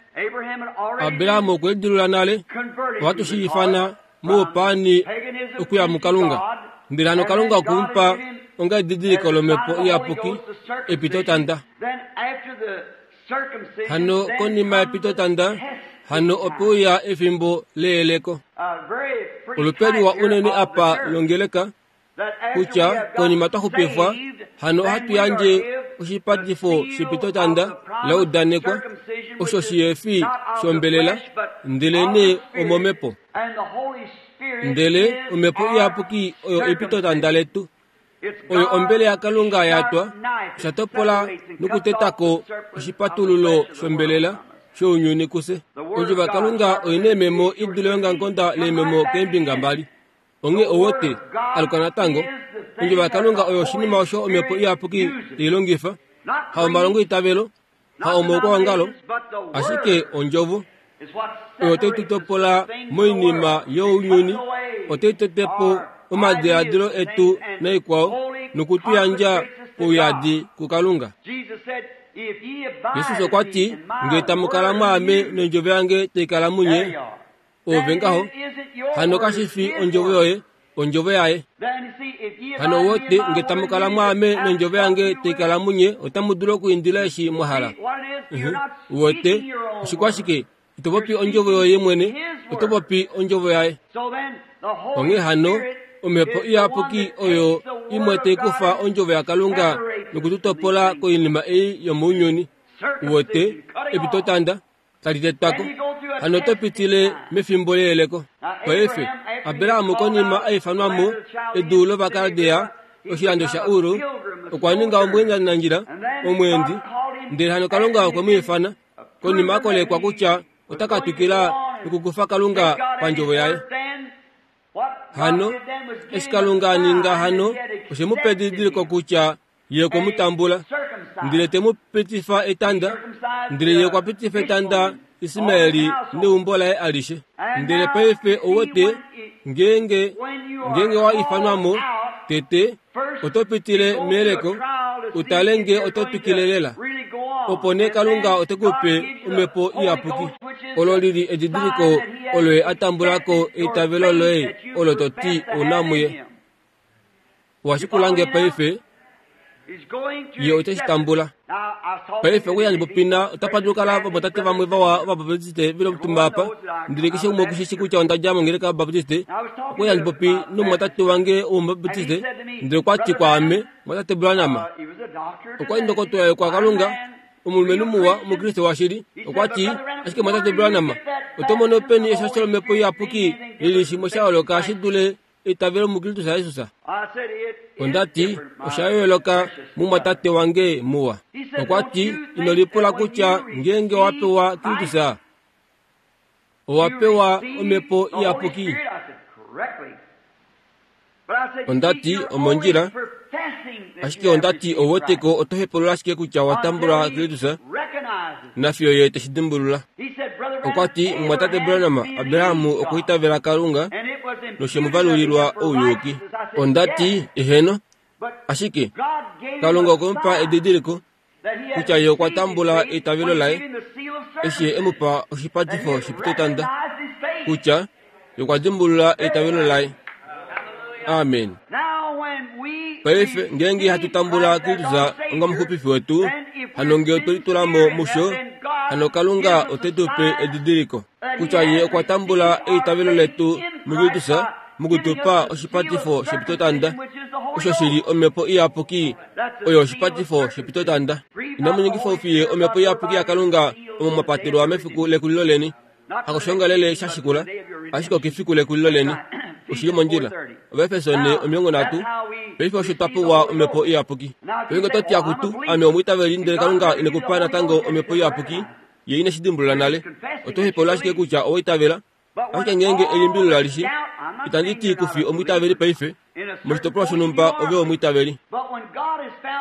Abrahamu okwe lidilula nale, ohatu shi ifana moupaani okuya muKalunga. Ndele hano Kalunga okwe mu pa onga edidiliko lomhepo iyapuki, epitotanda. Hano konima yepitotanda, hano ope uya efimbo leyeleko. Olupe liwa unene apa longeleka, kutya konima twa xupifwa, hano ohatu yandje oshipatifo shepitotanda laudanekwa, osho shihefi shombelela, ndelenee omomhepo. Ndele omhepo iyapuki oyo epitotanda letu, oyo ombele yaKalunga ya twa, osha topola nokutetako oshipatululo shombelela shounyuni kuse. Ondjovo yaKalunga oina eememo i dule yongangonda leememo keembinga mbali. Onghee owote aluka natango, ondjovo yaKalunga oyo oshinima osho omhepo iyapuki tai longifa, ha omalongo eitavelo, ha omaukwaongalo, ashike ondjovo oyo otai tu topola moinima younyuni, otai tete po omadiladilo etu naikwao, nokutu yandja pouyadi kuKalunga. Jesus okwa ti, ngee tamu kala mwaame nondjovo yange tai kala munye, ove ngaho, hano kashi fi ondjovo yoye, ondjovo yaye. Hano wote nge tamu kala mwaame nondjovo yange tai kala munye, otamu dulu okuindila eshi mwa hala. Wote oshikwashike, ito popi ondjovo yoye mwene, oto popi ondjovo yaye. Onghee hano omhepo iyapuki oyo imwe tai kufa ondjovo yaKalunga nokututopola koinima ei yomounyuni. Wote epitotanda tali tetwako, hano oto pitile mefimbo leyeleko. Paife Abrahamu konima a ifanwa mo edu lOvakaldea, oshilando sha Uru, okwa ninga omweendanandjila, omweendi, ndele hano Kalunga okwe mu ifana, konima a kolekwa kutya ota ka twikila nokukufa Kalunga pandjovo yaye. Hano eshi Kalunga a ninga hano, oshe mu pa edidiliko kutya ye okwe mu tambula, ndele te mu pitifa etanda, ndele ye okwa pitifa etanda Ismaeli neumbo laye alishe. Ndele paife owote ngeenge ngeenge wa ifanwa mo tete, oto pitile meyeleko, utale nge oto twikile lela. Opo nee Kalunga ote ku pe omhepo iyapuki. Olo lili edidiliko olo ye a tambula ko eitavelo loye olo to ti ouna muye. Owa shikula nge paife, ye ote shi tambula. Paife okuya ndipopina, otapa dulu kala vamwatate vamwe vawa Ovabaptiste ve li omutumba apa, ndele keshe umwe oku shi kutya onda dja mongeleka yOvabaptiste. Okuya ndipopi nomumwatate wange wOmubaptiste, ndele okwa ti kwaame, mwatate Branham, okwa li ndokotola yokwaKalunga, omulumenhu muwa, Omukriste washili. Okwa ti, ashike mwatate Branham, oto mono peni eshasho lomhepo iyapuki lili shimwe sha yooloka shi dule eitavelo muKristus Jesus? Onda ti, osha yooloka mumwatate wange muwa. Okwa ti, ino lipula kutya ngeenge wa pewa Kristus, Owa pewa omhepo iyapuki? Onda ti omondjila, ashike onda ti ou weteko oto hepulula ashike kutya owa tambula Kristus, nafiyo ye teshi dimbulula. Okwa ti, Mumwatate Branham, Abraham okwa itavela Kalunga noshe mu valulilwa ouyuki. Onda ti, eheno, ashike Kalunga okwe mu pa edidiliko kutya ye okwa tambula eitavelo laye eshi ye e mu pa oshipatifo shepitotanda kutya ye okwa dimbulula eitavelo laye. Amen. Paife ngeenge hatu tambula Kristus onga omuxupifi wetu, hano ngee otwe litula mo musho, hano Kalunga ote tu pe edidiliko kutya ye okwa tambula eitavelo letu muKristus mokutupa oshipatifo shepitotanda, osho shili omhepo iyapuki oyo oshipatifo shepitotanda. Inamu ningifa oufiye omhepo iyapuki yaKalunga omo mwa patelwa mefiku lekulilo leni. Hakoshongalele sha shikula, ashike okefiku lekulilo leni. Oshili mondjila. Ovaefeso ne omilongo nhatu. Paife osho twa pewa omhepo iyapuki. Paife oto ti akutu, ame omwiitaveli ndele Kalunga ine ku pa natango omhepo iyapuki, ye ine shi dimbulula nale. Oto hepulula ashike kutya owa itavela, ashike ngeenge elimbililo lalishi, itandi ti kufi omwiitaveli paife, moshitopolwa shonhumba ove omwiitaveli.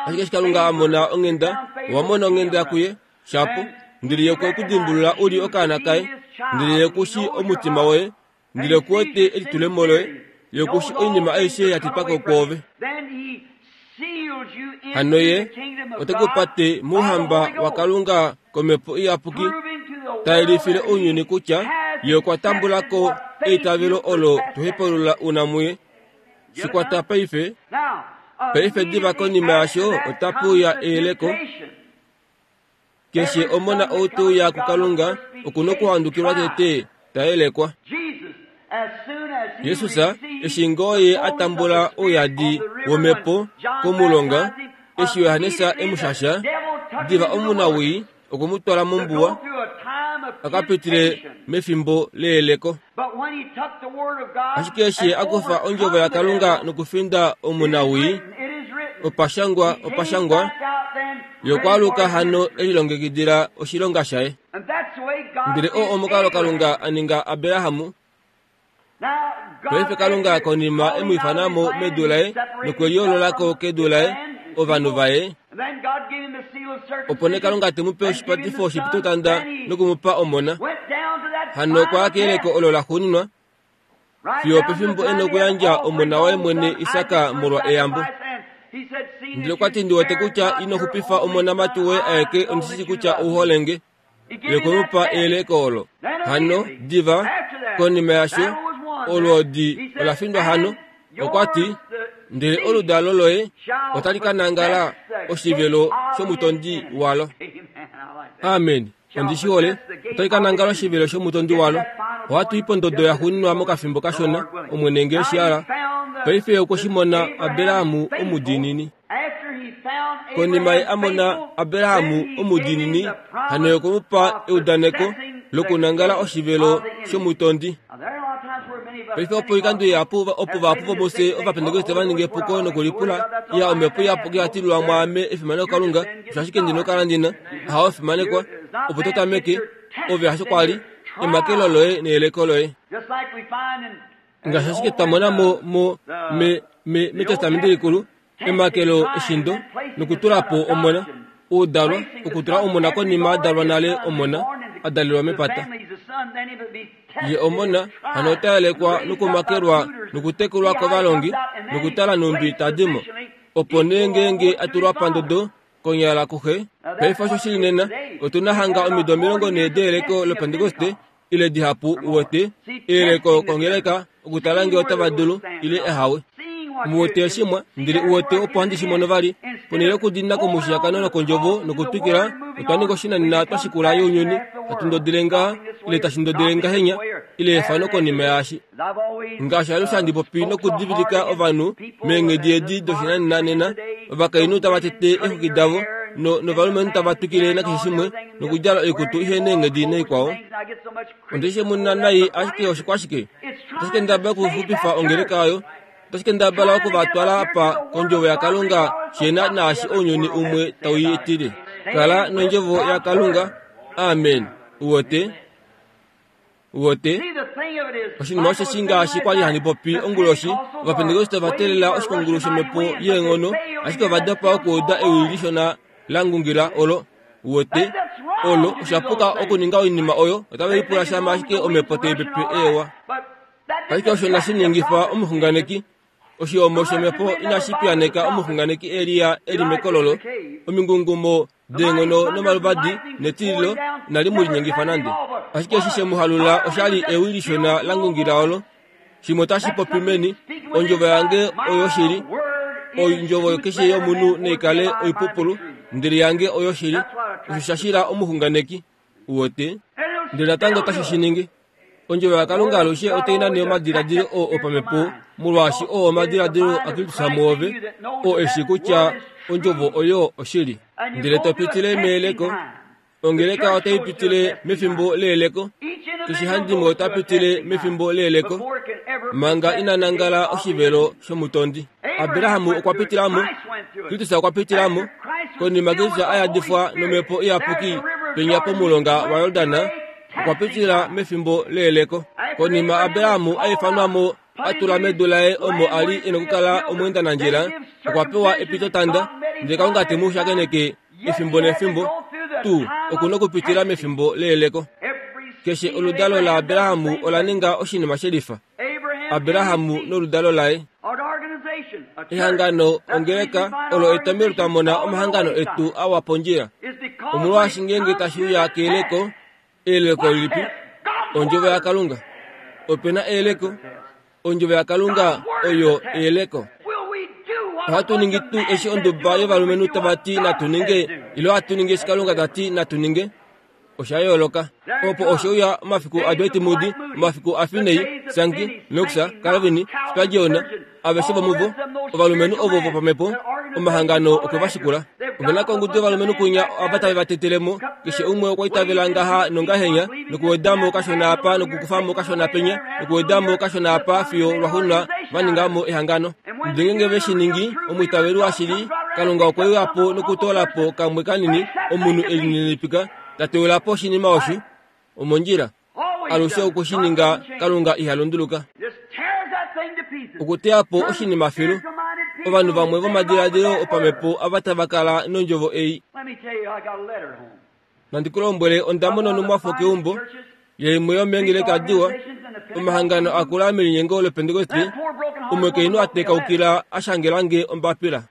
Ashike eshi Kalunga a mona onghenda, owa mona onghenda kuye, shapo, ndele ye okwe ku dimbulula u li okaana kaye, ndele ye ku shi omutima woye, ndele ku wete elitulemo loye, ye ku shi oinima aishe ya tetwa ko kwoove. Hano ye ote ku pate mouhamba waKalunga komhepo iyapuki, ta yelifile ounyuni kutya ye okwa tambula ko eitavelo olo to hepulula una muye. Shikwata paife. Paife diva konima yasho otapu uya eyeleko. Keshe omona ou te uya kuKalunga oku na okuhandukilwa tete ta yelekwa. Jesus eshi ngoo ye a tambula ouyadi womhepo komulonga, eshi Johannes e mu shasha, diva omunawii okwe mu twala mombuwa a ka pitile mefimbo leyeleko. Ashike eshi a kufa ondjovo yaKalunga nokufinda omunawii, opashangwa opashangwa, ye okwa aluka hano e lilongekidila oshilonga shaye. Ndele oo omukalo Kalunga a ninga Abraham. Paife Kalunga konima e mu ifana mo medu laye nokwe liyoolola ko kedu laye, ovanhu vaye, opo nee Kalunga te mu pe oshipatifo shepitotanda noku mu pa omona. Hano okwa ya keyeleko olo la xuuninwa fiyo pefimbo e na okuyandja omona waye mwene Isak molwa eyambo. Ndele okwa ti, ndi wete kutya ino xupifa omonamati woye aeke, ondi shi kutya ou hole nge. Ye okwe mu pa eyeleko olo. Hano diva konima yasho olwoodi ola findwa hano. Okwa ti, ndele oludalo loye otali ka nangala oshivelo shomutondi walo. Amen. Ondi shi hole. Otali ka nangala oshivelo shomutondi walo. Ohatu i pondodo ya xuuninwa mokafimbo kashona, Omwene ngee shi hala. Paife okwe shi mona Abraham omudiinini. Konima ye a mona Abraham omudiinini, hano ye okwe mu pa eudaneko lokunangala oshivelo shomutondi. Paife opo oikando ihapu opo vahapu vomufye Ovapentekoste va ninga epuko nokulipula, iya omhepo iyapuki ya tililwa mwaame efimano Kalunga, osho ashike ndi nokukala ndi na. Ahawe fimanekwa, opo to tameke, ove hasho kwa li, emakelo loye neyeleko loye. Ngaashi ashike twa mona mo, mo, me, me, mEtestamenti Likulu, emakelo eshindo nokutula po omona, oudalwa, okutula omona konima a dalwa nale omona, a dalelwa mepata. Ye omona, hano ota yelekwa nokumakelwa nokutekulwa kovalongi nokutala nhumbi ta di mo. Opo nee ngeenge a tulwa pandodo konyala kuxe, paife osho shili nena, otu na hanga omido omilongo nhee deyeleko loPentekoste ile dihapu uwete, eyeleko kongeleka okutala ngee otava dulu ile ehawe. Muwete eshimwa, ndele uwete opo handi shi mono vali. Ponhele yokudiinina komushiyakano nokondjovo nokutwikila, otwa ninga oshinanena twa shikula younyuni, hatu ndodile ngaha, ile tashi ndodile ngahenya, ile efano konima yaashi. Ngaashi alushe handi popi nokudivilika ovanhu meenghedi edi doshinanena nena, ovakainhu tava tete eexwiki davo, no, novalumenhu tava twikile nakeshe shimwe, nokudjala oikutu ihe neenghedi naikwao. Onde shi mona nai ashike oshikwashike. Otashi kendabala okuxupifa ongeleka oyo. Otashi kendabala okuvatwala apa kondjovo yaKalunga shena naashi ounyuni umwe tau i etile. Kala nondjovo yaKalunga. Amen. Uwete? Wote oshinima osho shi ngaashi kwali handi popi onguloshi, Ovapentekoste ova teelela oshikungulu shomhepo yeenghono, ashike ova dopa okuuda ewi lishona la ngungila olo. Wote olo osha puka okuninga oinima oyo, otave lipula shama ashike omhepo tai pepe eewa. Ashike osho inashi ningifa omuxunganeki. Oshihomo shomhepo inashi piyaneka omuxunganeki Elia e li mekololo. Omingungumo deenghono nomaluvadi netililo inali mu linyengifa nande. Ashike eshi she mu halula oshali ewi lishona la ngungila olo. Shimwe otashi popi meni, ondjovo yange oyoshili, ondjovo keshe yomunhu naikale oipupulu, ndele yange oyoshili. Osho sha shila omuxunganeki. Uwote ndele natango otashi shi ningi. Ondjovo yaKalunga alushe otai nane omadiladilo oo opamhepo, molwaashi oo omadiladilo aKristus muove, oo eshi kutya ondjovo oyo oshili. Ndele to pitile meyeleko. Ongeleka otai pitile mefimbo leyeleko. Keshe handimwe ota pitile mefimbo leyeleko manga ina nangala oshivelo shomutondi. Abraham okwa pitila mo, Kristus okwa pitila mo. Konima Kristus a yadifwa nomhepo iyapuki penya pomulonga waJordan, okwa pitila mefimbo leyeleko. Konima Abraham a ifanwa mo a tula medu laye omo a li e nokukala omweendanandjila, okwa pewa epitotanda, ndele Kalunga te mu shakeneke efimbo nefimbo tuu oku nokupitila mefimbo leyeleko. Keshe oludalo laAbraham ola ninga oshinima shelifa. Abraham noludalo laye. Ehangano ongeleka olo etomhelo twa mona omahangano etu awa pondjila. Omolwaashi ngeenge tashi uya keyeleko, eyeleko lilipi? Ondjovo yaKalunga. Ope na eyeleko. Ondjovo yaKalunga oyo eyeleko. Ohatu ningi tuu eshi onduba yovalumenhu tava ti natu ninge, ile ohatu ningi eshi Kalunga ta ti natu ninge? Osha yooloka. Opo oshe uya omafiku aDwight Moody, omafiku aFinney, Sankey, Knox, Calvin, Spurgeon, aveshe vomuvo, ovalumenhu ovo vopamhepo, omahangano okwe va shikula. Ove na kongudu yovalumenhu kunya ava tave va tetele mo, keshe umwe okwa itavela ngaha nongahenya, nokuweda mo kashona apa, nokukufa mo kashona penya, nokuweda mo kashona apa fiyo lwaxuuninwa va ninga mo ehangano. Ndele ngeenge ve shi ningi, omwiitaveli washili, Kalunga okwe uya po nokutoola po kamwe kanini omunhu e lininipika, ta teula po oshinima osho omondjila. Alushe oku shi ninga, Kalunga iha lunduluka. Okuteya po oshinima filu. Ovanhu vamwe vomadiladilo opamhepo ava tava kala nondjovo ei. Nandi ku lombwele, onda mona onhumwafo keumbo yaimwe yomeengeleka diwa, omahangano akula melinyengo loPentekoste, omukainhu a tekaukila a shangela nge ombapila.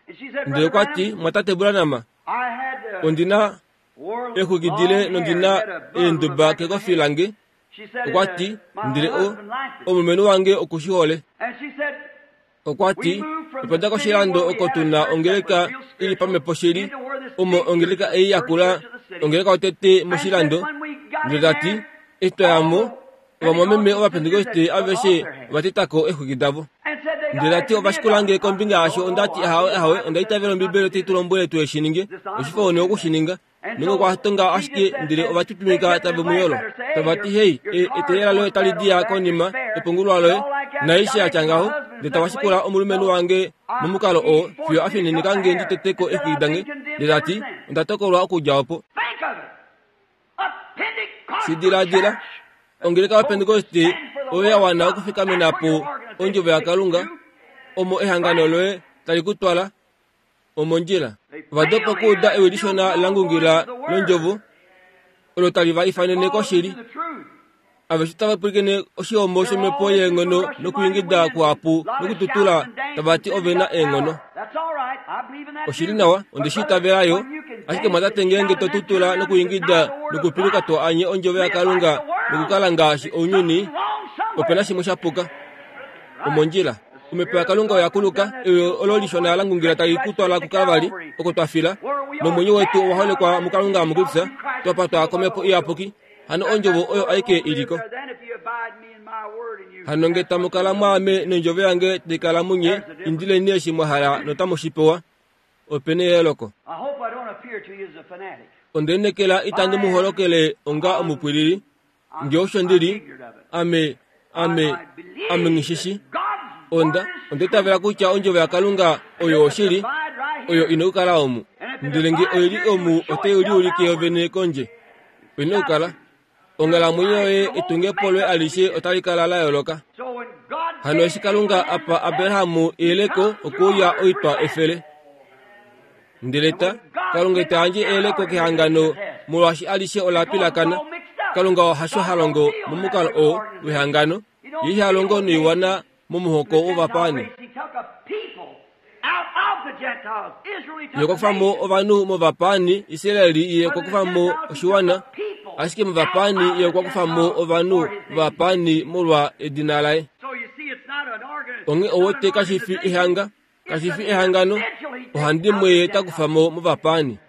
Ndele okwa ti, Mwatate Branham, ondi na exwiki dile nondi na eenduba kekofi lange. Okwa ti, ndele o omulumenhu wange oku shi hole. Okwa ti, otwa dja koshilando oko tu na ongeleka i li pamhepo shili, omo ongeleka ei yakula, ongeleka yotete moshilando. Ndele ta ti, eshi twa ya mo, ovamwameme Ovapentekoste aveshe ova teta ko exwiki davo. Ndele ta ti, ova shikula nge kombinga yaasho. Onda ti, ahawe, ahawe, onda itavela Ombibeli otai tu lombwele tu shi ninge, oshifa one oku shi ninga. Nonge okwa tonga ashike, ndele ova twitwimika tave mu yolo. Tava ti, hei, etelela loye tali diya konima, epungulwa loye, naaishe ya tya ngaho. Ndele tava shikula omulumenhu wange momukalo oo, fiyo a fininika nge ndi tete ko exwiki dange. Ndele ta ti, onda tokolwa okudja opo. Shi diladila, ongeleka yoPentekoste oyo ya wana okufikamena po ondjovo yaKalunga, omo ehangano loye tali ku twala omondjila. Ova dopa okuuda ewi lishona la ngungila londjovo, olo tali va ifanene koshili. Aveshe tava pwilikine oshihomo shomhepo yeenghono nokuingida kuhapu nokututula, tava ti ove na eenghono. Oshili nawa, onde shi itavela yo. Ashike mwatate, ngeenge to tutula nokuingida nokupiluka to anye ondjovo yaKalunga nokukala ngaashi ounyuni, ope na shimwe sha puka. Omondjila. Omhepo yaKalunga oya kuluka, ewi olo lishona la ngungila tali ku twala kuKalvari, oko twa fila, nomwenyo wetu owa holekwa muKalunga muKristus, twa patwa komhepo iyapuki. Hano ondjovo oyo aike iliko. Hano nge tamu kala mwaame nondjovo yange tai kala munye, indileni eshi mwa hala notamu shi pewa. Ope neyooloko. Onde lineekela itandi mu holokele onga omupwilili, nge osho ndi li, ame, ame, ame nghishishi. Onda, onda itavela kutya ondjovo yaKalunga oyo oshili, oyo ina okukala omu. Ndele nge oi li omu, otai liulike yovene kondje. Oi na okukala. Onghalamwenyo yoye etungepo loye alishe otali kala la yooloka. Hano eshi Kalunga apa Abrahamu eyeleko okuuya oitwa efele. Ndele ta Kalunga ita yandje eyeleko kehangano molwaashi alishe ola pilakana. Kalunga hasho ha longo momukalo oo wehangano, ye iha longo noiwana momuhoko wovapaani. Ye okwa kufa mo ovanhu movapaani, Israeli ye okwa kufa mo oshiwana, ashike movapaani ye okwa kufa mo ovanhu vovapaani molwa edina laye. Onghee owete kashi fi ehanga, kashi fi ehangano, ohandimwe ye ta kufa mo movapaani.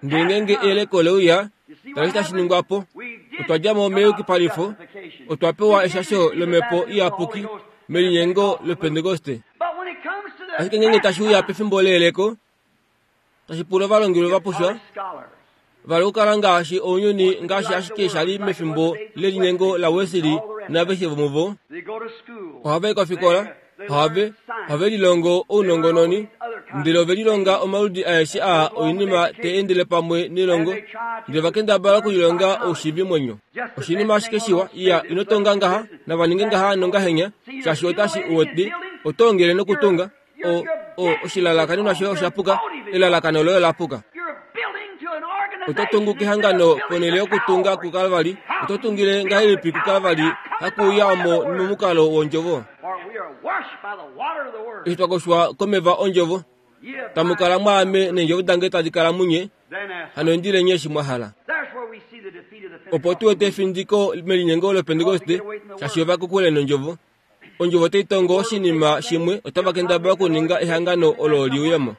Ndele ngeenge eyeleko leuya, tala eshi tashi ningwa po. Otwa dja mo meyukipalifo, otwa pewa eshasho lomhepo iyapuki melinyengo loPentekoste. Ashike ngeenge tashi uya pefimbo leyeleko, tashi pula ovalongelwe va pushwa, vala okukala ngaashi ounyuni ngaashi ashike sha li mefimbo lelinyengo laWesley naveshe vomuvo. Ohava i kofikola, ohave ohave lilongo ounongononi, ndele ove lilonga omaludi aeshe aa oinima te endele pamwe nelongo, ndele va kendabala okulilonga oushiivimwenyo. Oshinima ashike shiwa, iya ino tonga ngaha, nava ninge ngaha nongahenya, shaashi otashi uwete, oto ongele nokutunga, o o oshilalakanenwa shoye osha puka, elalakano loye ola puka. Oto tungu kehangano ponhele yokutunga kuKalvari, oto tungile ngahelipi kuKalvari hakuuya omo momukalo wondjovo. Eshi twa koshwa komeva ondjovo, tamu kala mwaame neendjovo dange tadi kala munye, hano indile nye eshi mwa hala. Opo tu wete efindiko melinyengo loPentekoste, shaashi ova kokule nondjovo. Ondjovo otai tongo oshinima shimwe, otava kendabala okuninga ehangano olo liuyemo.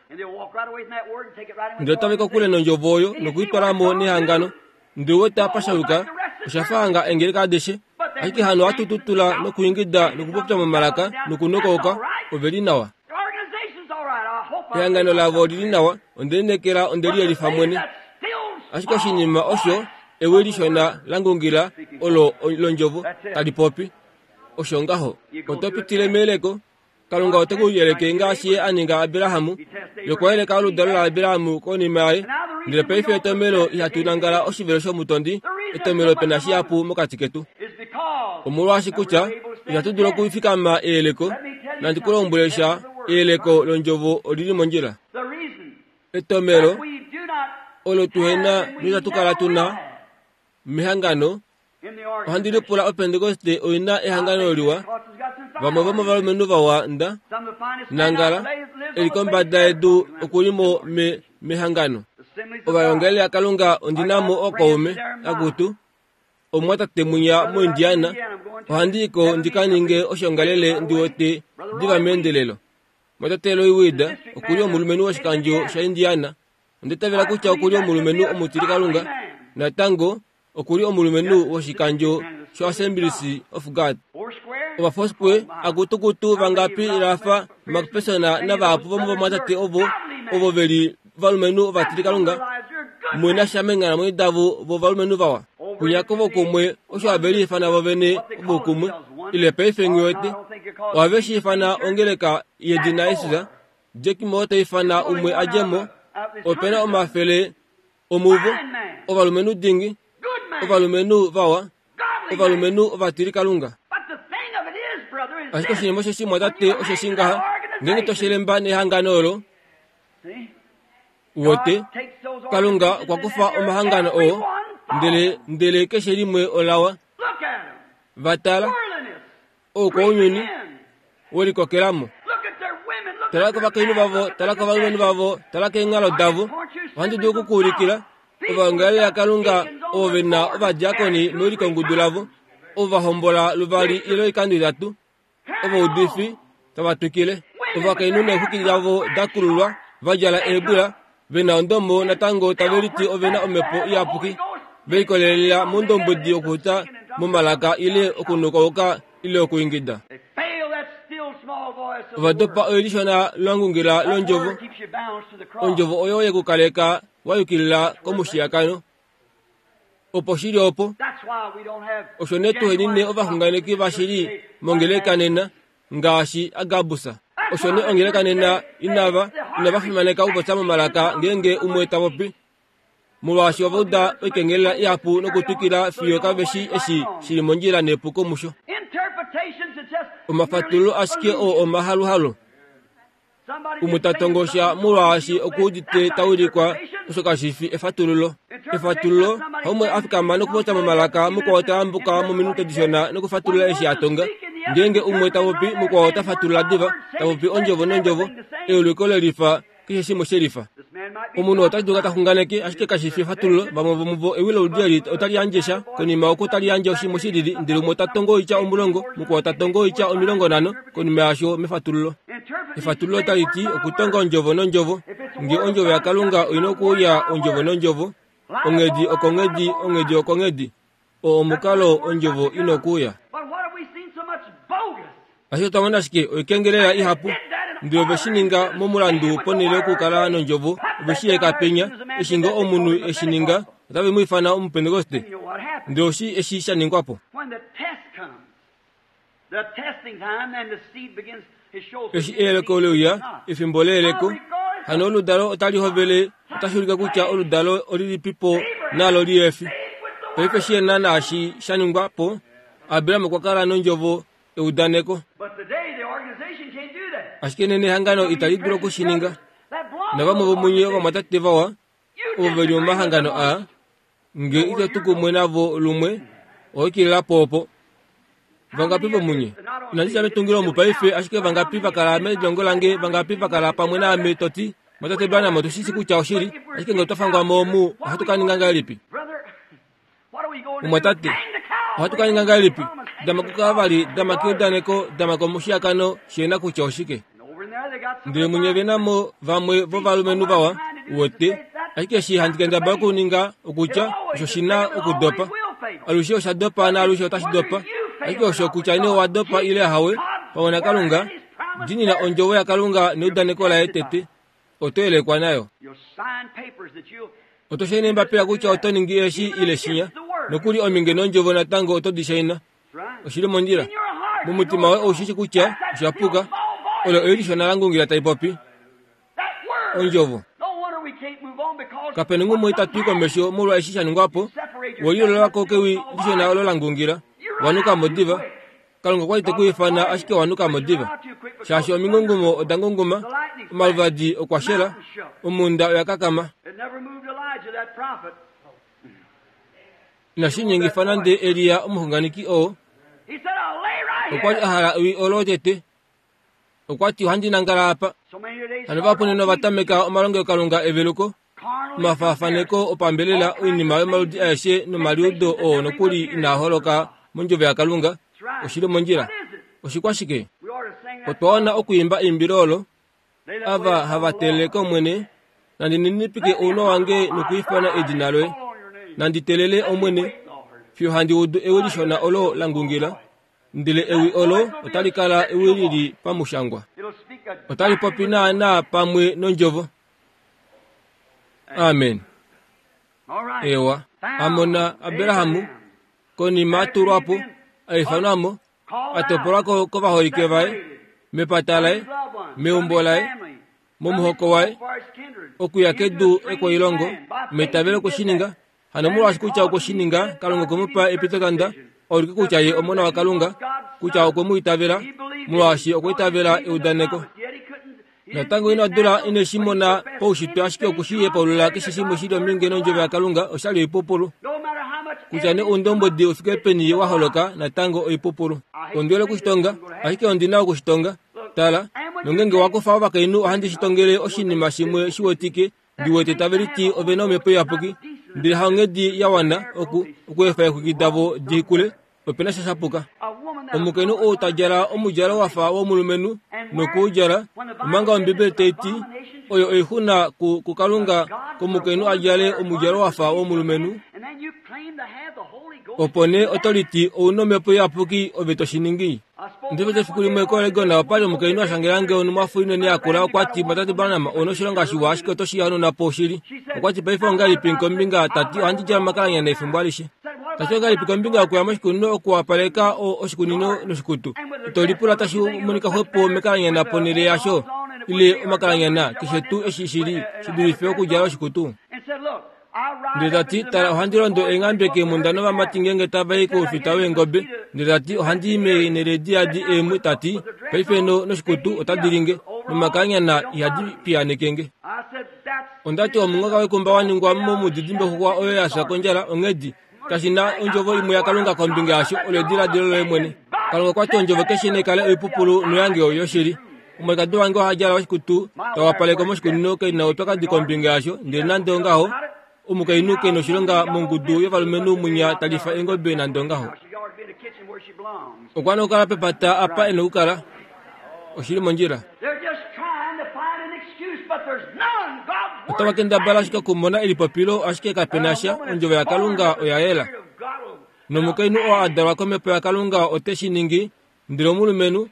Ndele otava i kokule nondjovo oyo nokuitwala mo nehangano. Ndele wete apa sha yuka, osha fa hanga eengeleka adishe, ashike hano ohatu tutula nokuingida nokupopya momalaka nokunokauka, ove li nawa. Ehangano lavo olili nawa, onde lineekela onde liyelifa mwene. Ashike oshinima osho ewi lishona la ngungila olo londjovo tali popi. Osho ngaho, oto pitile meyeleko. Kalunga ote ku yeleke ngaashi ye a ninga Abrahamu, ye okwa yeleka oludalo laAbrahamu konima yaye. Ndele paife etomelo ihatu nangala oshivelo shomutondi, etomelo pena shihapu mokati ketu. Omolwaashi kutya ihatu dulu okufikama eyeleko, nandi ku lombwele sha, eyeleko londjovo olili mondjila. Etomelo olo tuhena noitatu kala tuna mehangano, ohandi lipula oPentekoste oina ehangano liwa, vamwe vomovalumenhu vawa nda nangala eli kombada yedu okulimo me mehangano. Ovalongeli vaKalunga ondinamo ookaume akutu, omumwatate mwinya moIndiana, ohandi iko ndi ka ninge oshongalele ndi wete diva meendelelo. Mwatate Roy Weed okuli omulumenhu woshikandjo shaIndiana, onda itavela kutya okuli omulumenhu omutilikalunga, natango okuli omulumenhu woshikandjo shoAssemblies of God. Ovafoursquare akutukutu vangapi Rafa McPherson navahapu vomovamwatate ovo ovo veli valumenhu ovatilikalunga mwena sha meenghalamwenyo davo vovalumenhu vawa. Kunyakovo kumwe osho have liifana vovene ovokumwe, ile paife nghiwete ohave shi ifana ongeleka yedina Jesus. Jack Moore ta ifana umwe a dje mo, opena omafele omuvo, ovalumenhu dingi, ovalumenhu vawa, ovalumenhu ovatilikalunga. Ashike oshinima osheshi mwatate osheshi ngaha, ngeenge to shelemba nehangano olo, wote Kalunga okwa kufa omahangano oo, ndele ndele keshe limwe olawa. Vatala oukwaunyuni welikokelamo. Tala kovakainhu vavo, tala kovalumenhu vavo, tala keenghalo davo. Ohandi dulu okukuulikila ovaongeli vaKalunga ovo ve na ovadiakoni mewilikongudu lavo, ovo va hombola luvali ile oikando itatu, ovaudifi tava twikile. Ovakainhu neexwiki davo da kululwa, va djala eebwila, ve na ondomo natango tave liti ove na omhepo iyapuki, ve likolelela mondombwedi okuxuta momalaka ile okunukauka ile okuingida. Ova dopa oilishona lwangungila londjovo, ondjovo oyo yekukaleka wa yukilila komushiyakano. Opo shili opo, osho nee tuhenine ovaxunganeki vashili mongeleka nena ngaashi Agabus. Osho nee ongeleka nena inava inava fimaneka okupopya momalaka ngeenge umwe ta popi. Molwaashi ova uda oikengelela ihapu nokutwikila fiyo kave shi eshi shili mondjila nepuko musho. Omafatululo ashike oo omahaluhalu. Umwe ta tongosha molwaashi okuudite tawilikwa osho kashifi efatululo. Efatululo haumwe afikama nokupopya momalaka mukwao tayambuka mominute dishona nokufatulula eshi a tonga. Ngeenge umwe tapopi mukwao ota fatulula diva, tapopi ondjovo nondjovo, euliko lelifa keshe shimwe shelifa. Omunhu ota dulu taxunganeke ashike kashifi efatululo. Vamwe vomuvo ewi loludi eli otali yandje sha, konima oko otali yandje oshimwe shilili, ndele umwe ota tongo oitya omulongo, mukwao ta tongo oitya omilongo nhano konima yasho mefatululo. Efatululo otali ti okutonga ondjovo nondjovo. Nge ondjovo yaKalunga oina okuuya ondjovo nondjovo, onghedi okonghedi, onghedi okonghedi, oo omukalo ondjovo ina okuuya. Ashike otwa mona ashike oikengelela ihapu, ndele ove shi ninga momulandu ponhele yokukala nondjovo, ove shi eka penya. Eshi ngee omunhu eshi ninga, otave mu ifana Omupentekoste. Ndele oshi eshi sha ningwa po. Eshi eyeleko leuya, efimbo leyeleko, hano oludalo otali hovele, otashi ulike kutya oludalo olilipipo nalo liefi. Paife shi na naashi sha ningwa po, Abraham okwa kala nondjovo eudaneko. Ashike nena ehangano itali dulu okushininga. Navamwe vomunye ovamwatate vawa, ovo veli momahangano aa, nge ito tu kumwe navo lumwe, oho ikilila po opo. Vangapi vomunye? Inandi dja metungilo omu paife, ashike vangapi va kala melilongo lange, vangapi va kala pamwe naame to ti, Mwatate Branham, otu shi shi kutya oshili, ashike nge otwa fangwa mo omu, ohatu ka ninga ngahelipi? Mumwatate, ohatu ka ninga ngahelipi? Dama kukavali, dama keudaneko, dama komushiakano, shena kutya oshike. Ndele munye ve na mo vamwe vovalumenhu vawa, wote, ashike eshi handi kendabala okuninga okutya osho shi na okudopa. Alushe osha dopa naalushe otashi dopa. Ashike osho kutya nee owa dopa ile hawe, pamwe naKalunga, diinina ondjovo yaKalunga neudaneko laye tete, oto yelekwa nayo. Oto shaina eembapila kutya oto ningi eshi ile shinya, nokuli ominge nondjovo natango oto di shaina. Oshili mondjila. Momutima woye ou shi shi kutya osha puka. Olo ewi lishona la ngungila tai popi. Ondjovo. Kape na umwe ita twi komesho molwa eshi sha ningwa po. We liolola ko kewi lishona olo la ngungila. Wanuka mo diva. Kalunga okwa li te ku ifana ashike wanuka mo diva. Shaashi omingungumo oda ngunguma, omaluvadi okwa shela, omhunda oya kakama. Inashi ningifa nande Elia omuxunganeki oo. Okwa li a hala ewi olo tete. Okwa ti ohandi nangala apa. Hano vahapu nena ova tameka omalongelokalunga eveluko, omafaafaneko opambelela, oinima yomaludi aeshe nomaliudo oo nokuli inaa holoka mondjovo yaKalunga. Oshili mondjila. Oshikwashike? Otwa wana okwiimba eimbilo olo, ava hava teelele kOmwene, nandi ninipike ounwa wange nokwiifana edina loye. Nandi teelele Omwene, fiyo handi udu ewi lishona olo la ngungila, ndele ewi olo otali kala ewi lili pamushangwa. Otali popi naanaa pamwe nondjovo. Amen. Ewa. Amona Abrahamu, konima a tulwa po, a ifanwa mo, a topolwa ko kovaholike vaye, mepata laye, meumbo laye, momuhoko waye, okuya kedu ekwailongo, meitavelo okushininga. Hano molwaashi kutya okwe shi ninga, Kalunga okwe mu pa epitotanda, a ulike kutya ye omona waKalunga, kutya okwe mu itavela, molwaashi okwa itavela eudaneko. Natango ina dula ine shi mona paushitwe, ashike oku shi hepaulula keshe shimwe shi li ominge nondjovo yaKalunga oshali oipupulu. Kutya nee oundombwedi u fike peni wa holoka, natango oipupulu. Ondi hole okushitonga, ashike ondi na okushitonga. Tala, nongenge wa kufa ovakainhu ohandi shi tongele oshinima shimwe shi wetike, ndi wete tave liti ove na omhepo iyapuki, ndele haonghedi ya wana oku okuefa eexwiki davo di kule, ope na sha shapuka. Omukainhu ou ta djala omudjalo wa fa womulumenhu nokuudjala, omanga Ombibeli tai ti oyo oixuna ku, kuKalunga komukainhu a djale omudjalo wa fa womulumenhu, opo nee oto liti ou na omhepo iyapuki ove to shi ningi. Ndele efiku limwe koOregon opa li omukainhu a shangela nge onumwafo inene yakula. Okwa ti, Mwatate Branham, ou na oshilonga shiwa, ashike oto shi hanauna po shili. Okwa ti, Paife ongahelipi kombinga, ta ti, ohandi djala omakalanyana efimbo alishe. Ta ti, ongahelipi kombinga yokuya moshikunino okuwapaleka oshikunino noshikutu? Ito lipula tashi monika xwepo mekalanyana ponhele yasho, ile omakalanyana, keshe tuu eshi shi li, shi dulife okudjala oshikutu. Ndele ta ti, tala ohandi londo eenghambe keemhunda novamati ngeenge tava i koufita weengobe. Ndele ta ti, ohandi i meenhele diyadi eemwe. Ta ti, paife no noshikutu otadi linge, nomakanyana ihadi piyaaneke nge. Onda ti omunghoka wekumba wa ningwa momudidimbe-xuxwa oyo ya fya kondjala onghedi. Kashi na ondjovo imwe yaKalunga kombinga yasho, olo ediladilo loye mwene. Kalunga okwa ti ondjovo keshe naikale oipupulu noyange oyoshili. Omwalikadi wange oha djala oshikutu tawapaleke moshikunino ke na oupyakadi kombinga yasho, ndele nande ongaho omukainhu ke noshilonga mongudu yovalumenhu mwinya talifa eengobe nande ongaho. Okwa nokukala pepata apa e nokukala. Oshili mondjila. Otava kendabala ashike okumona elipopilo, ashike kape na sha. Ondjovo yaKalunga oya yela. Nomukainhu oo a dalwa komhepo yaKalunga ote shi ningi, ndele omulumenhu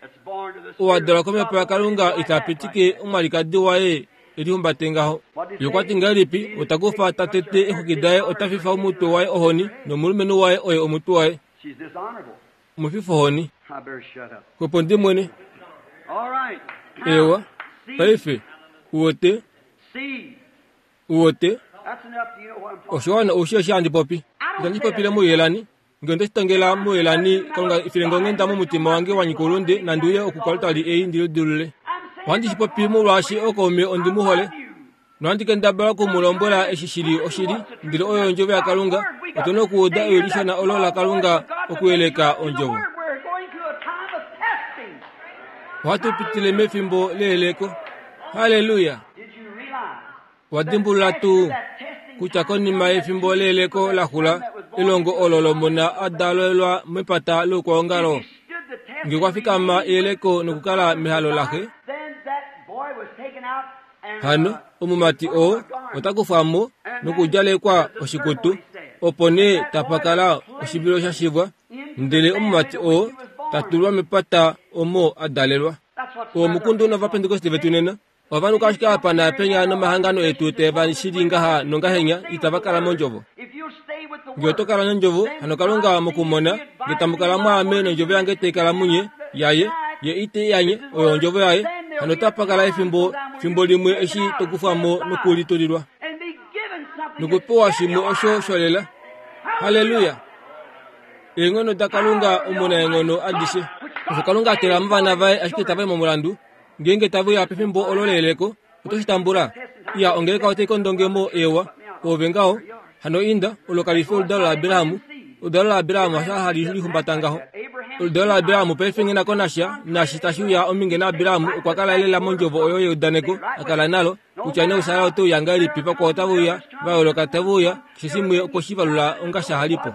oo a dalwa komhepo yaKalunga ita pitike omwalikadi waye elihumbate ngaho. Ye okwa ti ngahelipi? Ota kufa ta tete exwiki daye, ota fifa omutwe waye ohoni, nomulumenhu waye oye omutwe waye. Omufifa ohoni. Xwepo ndi mwene. Ewa, paife, uwote, uwote, oshiwana oushi eshi handi popi. Itandi popile muyelani. Nge onde shi tongela muyelani, Kalunga ifile onghenda momutima wange wa nyika oulunde, nandi uye okukalutali ei ndi lidilulule. Ohandi shi popi molwaashi okaume ondi mu hole. Nohandi kendabala oku mu lombwela eshi shili oshili, ndele oyo ondjovo yaKalunga. Otu na okuuda ewi lishona olo laKalunga okuyeleka ondjovo. Ohatu pitile mefimbo leyeleko. Halleluya! Wa dimbulula tuu kutya konima yefimbo leyeleko la xula, elongo olo lomona a dalelwa mepata loukwaongalo, nge kwa fikama eyeleko nokukala mehalo laxe, hano omumati oo ota kufwa mo nokudjalekwa oshikutu, opo nee tapa kala oshivilo sha shivwa, ndele omumati oo ta tulwa mepata omo a dalelwa. Omukundu novapentekoste vetu nena ovanhu ashike apa naapenya nomahangano etu te va shili ngaha nongahenya, itava kala mondjovo. Nge oto kala nondjovo, hano Kalunga mokumona, nge tamu kala mwaame nondjovo yange tai kala munye, yaye, ye ite yanye, oyo ondjovo yaye, hano otapa kala efimbo, fimbo limwe eshi to kufwa mo nokulitulilwa. Nokupewa shimwe osho sholela. Halleluya! Eenghono daKalunga omunaenghono adishe. Osho Kalunga a tela movana vaye ashike tava i momulandu. Ngeenge tave uya pefimbo olo leyeleko, oto shi tambula. Iya, ongeleka otai kondonge mo ewa. Oove ngaho, hano inda, olo kali fi oludalo laAbraham. Oludalo laAbraham hasho hali lihumbata ngaho. Oludalo laAbraham paife ngena ko nasha, naashi tashi uya ominge naAbraham okwa kala lela mondjovo oyo yeudaneko a kala nalo, kutya nee Sara ote uya ngahelipi, vakwao otave uya, va yooloka tave uya, keshe shimwe okwe shi valula onga sha halipo.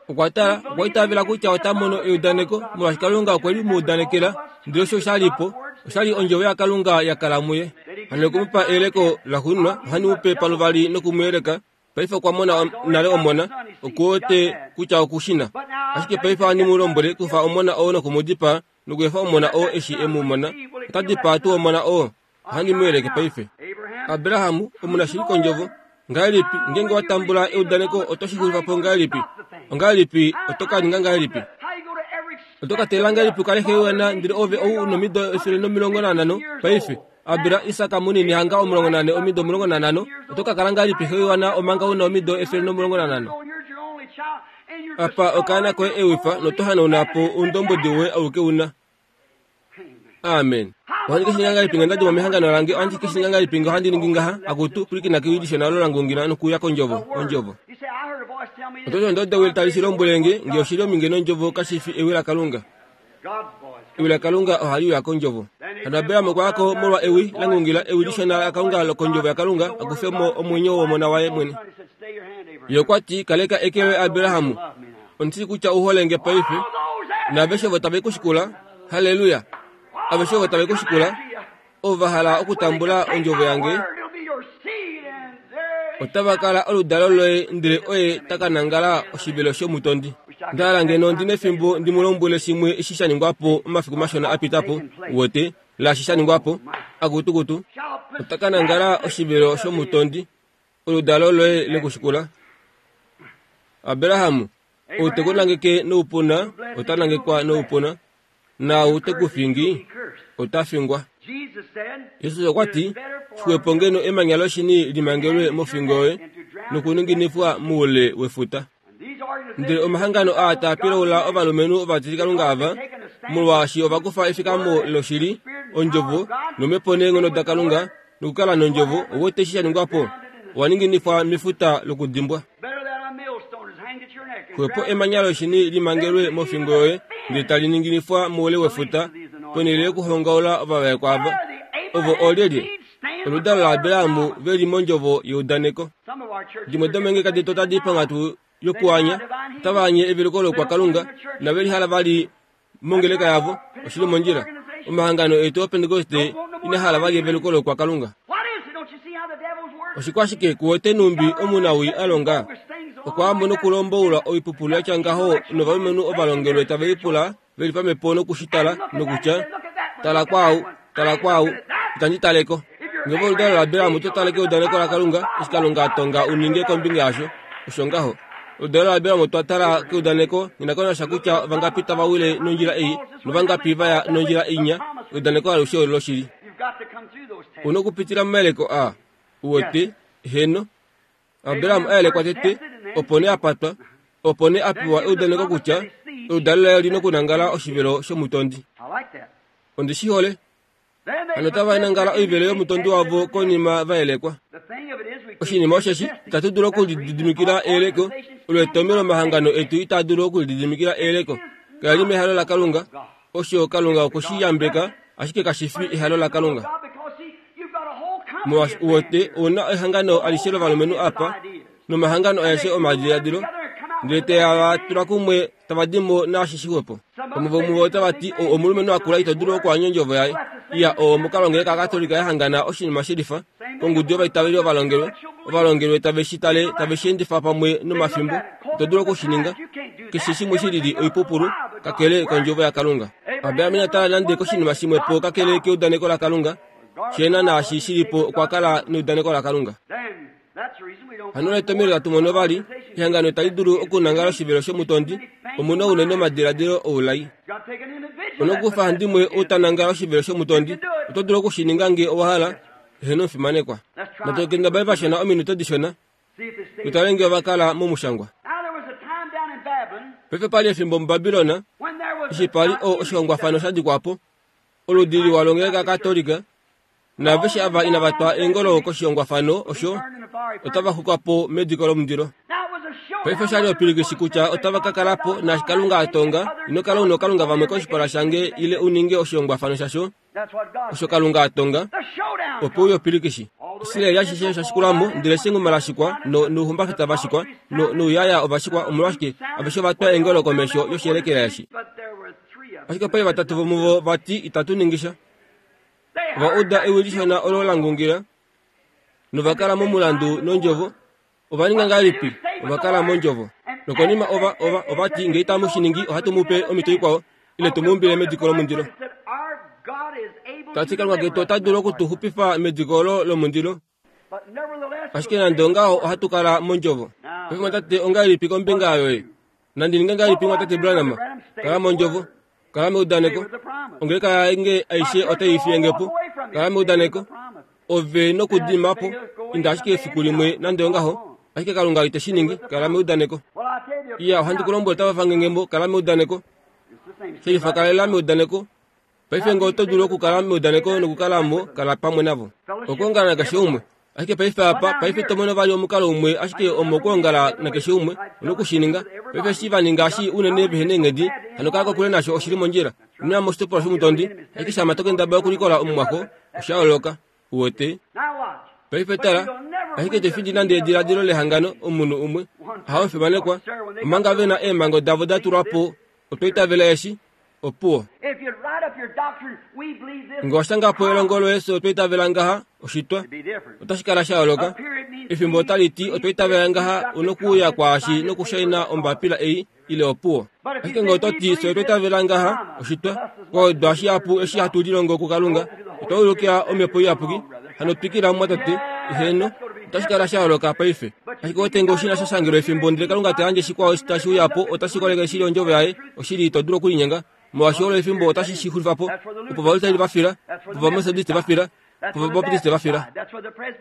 Okwa tala, okwa itavela kutya ota mono eudaneko, molwaashi Kalunga okwe li mu udanekela, ndele osho sha li po, osha li ondjovo yaKalunga ya kala muye. Hano oku mu pa eyeleko laxuuninwa, ohandi mu pe paluvali noku mu yeleka. Paife okwa mona nale omona, okuwete kutya oku shi na. Ashike paife ohandi mu lombwele, kufa omona oo noku mu dipaa, nokuefa omona oo eshi e mu mona. Ota dipaa tuu omona oo? Ohandi mu yeleke paife. Abraham, omunashili kondjovo. Ngahelipi, ngeenge wa tambula eudaneko oto shi xulifa po ngahelipi? Ongahelipi, oto ka ninga ngahelipi? Oto ka teelela ngahelipi u kale xe yoana, ndele ove ou nomido efele nomilongo nanhano paife? Abra, Isak munini hanga omulongo nane omido omulongo nanhano, oto ka kala ngahelipi xe yoana omanga u na omido efele nomulongo nanhano? Apa okaana koye ewifa noto hanauna po oundombwedi woye auke u na. Amen. Ohandi ke shi ninga ngahelipi nge nda dimo mehangano lange? Ohandi ke shi ninga ngahelipi nge ohandi ningi ngaha? Akutu, pwilikina kewi lishona olo la ngungila nokuuya kondjovo, ondjovo. Oto ti onda uda ewi tali shi lombwele nge, nge oshili ominge nondjovo kashi fi ewi laKalunga. Ewi laKalunga ohali uya kondjovo. Hano Abraham okwa ya ko molwa ewi la ngungila, ewi lishona laKalunga lokondjovo yaKalunga, a kufe mo omwenyo womona waye mwene. Ye okwa ti, kaleka eke loye Abraham. Ondi shii kutya u hole nge paife. Naaveshe ovo tave ku shikula, halleluya! Aveshe ovo tave ku shikula, ovo va hala okutambula ondjovo yange, otava kala oludalo loye, ndele oye ta ka nangala oshivelo shomutondi. Nda hala ngeno ndi nefimbo ndi mu lombwele shimwe eshi sha ningwa po omafiku mashona a pita po, uwete, laashi sha ningwa po. Akutukutu, ota ka nangala oshivelo shomutondi, oludalo loye le ku shikula. Abraham, ou te ku nangeke noupuna, ota nangekwa noupuna, naau te ku fingi, ota fingwa. Jesus okwa ti, xwepo ngeno emanya loshini li mangelwe mofingo yoye, nokuninginifwa muule wefuta. Ndele omahangano aa taa pilaula ovalumenhu ovatilikalunga ava, molwaashi ova kufa efikamo loshili, ondjovo, nomhepo neenghono daKalunga, nokukala nondjovo, ouwete eshi sha ningwa po, owa ninginifwa mefuta lokudimbwa. Xwepo emanya loshini limangelwe mofingo yoye, ndele tali ninginifwa moule wefuta, ponhele yokuhongaula ovavaekwa ava. Ovo oolyelye? Oludalo laAbraham ve li mondjovo yeudaneko. Dimwe domeengeleka detu otadi ponghatu yokuanya, otava anye eveluko lokwakalunga, inave lihala vali mongeleka yavo, oshili mondjila. Omahangano etu oPentekoste ina hala vali eveluko lokwakalunga. Oshikwashike kuwete numbi omunawii a longa? Okwa ambo nokulomboula oipupulu yatya ngaho novalumenhu ovalongelwe tave lipula veli pamhepo nokushitala nokutya, tala kwaau, tala kwaau, itandi taleko. Ngeve oludalo laAbraham oto tale keudaneko laKalunga, eshi Kalunga a tonga u ninge kombinga yasho, osho ngaho. Oludalo laAbraham otwa tala keudaneko, nghi kutya vangapi tava wile nondjila ei, novangapi vaya nondjila inya, eudaneko alushe oloshili. Una okupitila momayeleko a uwete, heno. Abraham a yelekwa tete, opo nee a patwa, opo nee a pewa eudaneko kutya oludalo laye oli nokunangala oshivelo shomutondi. Ondi shi hole. Hano otava nangala oivelo yomutondi wavo konima va yelekwa. Oshinima osheshi itatu dulu okulididimikila eyeleko, olo etomhelo omahangano etu itaa dulu okulididimikila eyeleko. Kali li mehalo laKalunga, osho Kalunga okwe shi yambeka, ashike kashi fi ehalo laKalunga. Molwaashi uwete ouna ehangano alishe lovalumenhu apa, nomahangano aeshe omadiladilo, ndele tava tula kumwe tava di mo naashi shixwepo. Vamwe vomuvo otava ti, ou omulumenhu akula ito dulu okuanya ondjovo yaye. Iya, oo omukalo ngeleka yaKatolika yahangana oshinima shelifa, kongudu yovaitaveli ovalongelwe, ovalongelwe tave shi tale tave shi endifa pamwe nomafimbo, ito dulu okushininga. Keshe shimwe shilili oipupulu, kakele kondjovo yaKalunga. Abraham ina tala nande koshinima shimwe po kakele keudaneko laKalunga, shena naashi shilipo okwa kala neudaneko laKalunga. Hano etomhelo tatu mono vali, ehangano itali dulu okunangala oshivelo shomutondi, omuna unene omadiladilo oulai. Onokufa handimwe outanangala oshivelo shomutondi, oto dulu okushininga nge owa hala, eheno omufimanekwa. Natu kendabale vashona ominute dishona, tutale nge ova kala momushangwa. Paife pali efimbo muBabilona, eshi pali o oshihongwafano sha dikwa po, oludi liwa longeleka Katolika, naaveshe ava inava twa eengolo koshihongwafano osho, otava xukwa po mediko lomundilo. Paife oshali opilikishi kutya otava ka kala po naashi Kalunga a tonga, ino kala una okalunga vamwe koshipala shange ile u ninge oshihongwafano shasho, osho Kalunga a tonga, opo uye opilikishi. Israeli ashishe osha shikulamo, ndele shenguma la shikwa, nouhumbafeta va shikwa, nouyaya ova shikwa, omolwashike aveshe ova twa eengolo komesho yoshiyelekela eshi. Ashike pali vatatu vomuvo vati itatu ningisha. Ova uda ewi lishona olo la ngungila, nova kala momulandu nondjovo. Ova ninga ngahelipi? Ova kala mondjovo. Nokonima ova ova ovati nge itamu shi ningi ohatu mu pe omhito ikwao, ile tu mu umbile mediko lomundilo. Tati Kalunga ketu ota dulu okutuxupifa mediko olo lomundilo. Ashike nande ongaho ohatu kala mondjovo. Paife mwatate ongahelipi kombinga yoye? Nandi ninge ngahelipi mwatate Branham? Kala mondjovo. Kala meudaneko. Ongeleka yange aishe otai fiye po. Kala meudaneko. Ove nokudima po. Inda ashike efiku limwe nande ongaho. Ashike Kalunga ite shi ningi. Kala meudaneko. Iya, ohandi ku lombwele otava fangengembo. Kala meudaneko. Shelifa kalela meudaneko. Paife nge oto dulu okukala meudaneko nokukala mo, kala pamwe navo. Okwoongala nakeshe umwe. Ashike paife apa, paife to mono vali omukalo umwe, ashike omo okwoongala nakeshe umwe, onokushininga. Paife eshi va ninga eshi unene vehe neenghedi, hano kala kokule nasho oshili mondjila. Ino ya moshitopolwa shomutondi, ashike shama to kendabala okulikola omumwako, osha yooloka. Uwete? Paife tala, ashike ito findi nande ediladilo lehangano omunhu umwe, ahawe fimanekwa, omanga ve na eemhango davo da tulwa po, otwa itavela eshi, opuwo. Nge owa po elongo loye fye otwa itavela ngaha, oshitwa, otashi kala sha yooloka. Efimbo otali ti otwa itavela ngaha, onokuuya kwaashi nokushaina ombapila ei, ile opuwo. Ashike nge oto ti fye otwa itavela ngaha, oshitwa, kwaudwa shihapu eshi hatu lilongo kuKalunga, otwa ulukila omhepo iyapuki, hano twikila mwatate, eheno, otashi kala sha yooloka paife. Ashike otenge oshina sha shangelwa efimbo, ndele Kalunga ta yandje shikwao tashi uya po, otashi koleke shili ondjovo yaye, oshili ito dulu okulinyenga. Molwaashi olo efimbo otashi shi xulifa po, opo Ovaluteri va fila, opo Ovametodiste va fila, Opo Vabaptiste va fila.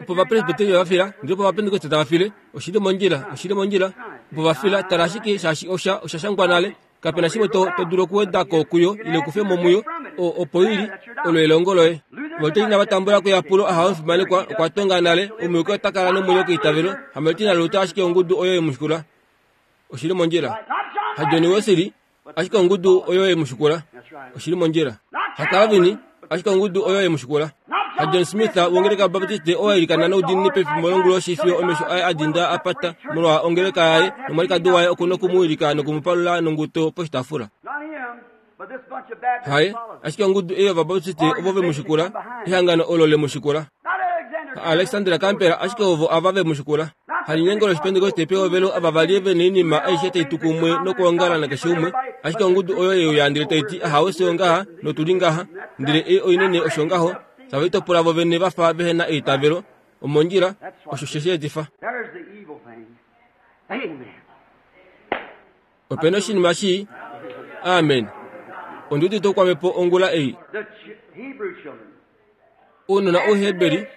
Opo Vapresbiteria va fila, ndele opo Vapentekoste tava file. Oshili mondjila, oshili mondjila. Opo va fila, tala ashike shaashi osha, osha shangwa nale. Kapena shimwe to, to dulu okuweda ko kuyo ile kufe mo muyo, o, opo ili, olo elongo loye. Volta inava tambula keyapulo aha omufimanekwa okwa tonga nale, omuyuki ota kala nomwenyo keitavelo, Hamilton naLuther ashike ongudu oyo ye mu shikula. Oshili mondjila. HaJohn Wesley, ashike ongudu oyo ye mu shikula. Oshili mondjila. HaCalvin, ashike ongudu oyo ye mu shikula. HaJohn Smith wongeleka Baptiste oo a ilikana noudiinini pefimbo longuloshi fiyo omesho aye a dinda a pata molwa ongeleka yaye nomwalikadi waye oku noku mu wilika noku mu palula nonguto poshitaafula. Haye, ashike ongudu ei yOvabaptiste ovo ve mu shikula, ehangano olo le mu shikula. Alexandra Campbell ashike ovo ava ve mu shikula. Halinyengo lOshipentekoste pehovelo ava va li ve noinima aishe tai tu kumwe nokwoongala nakeshe umwe, ashike ongudu oyo ye uya ndele tai ti ahawe fye ongaha notu li ngaha, ndele ei oinene osho ngaho, tave litopola vo vene va fa vehe na eitavelo. Omondjila, osho she shi etifa. Ope na oshinima shii. Amen. Ondi udite oukwamepo ongula ei. Ounona Ouheberi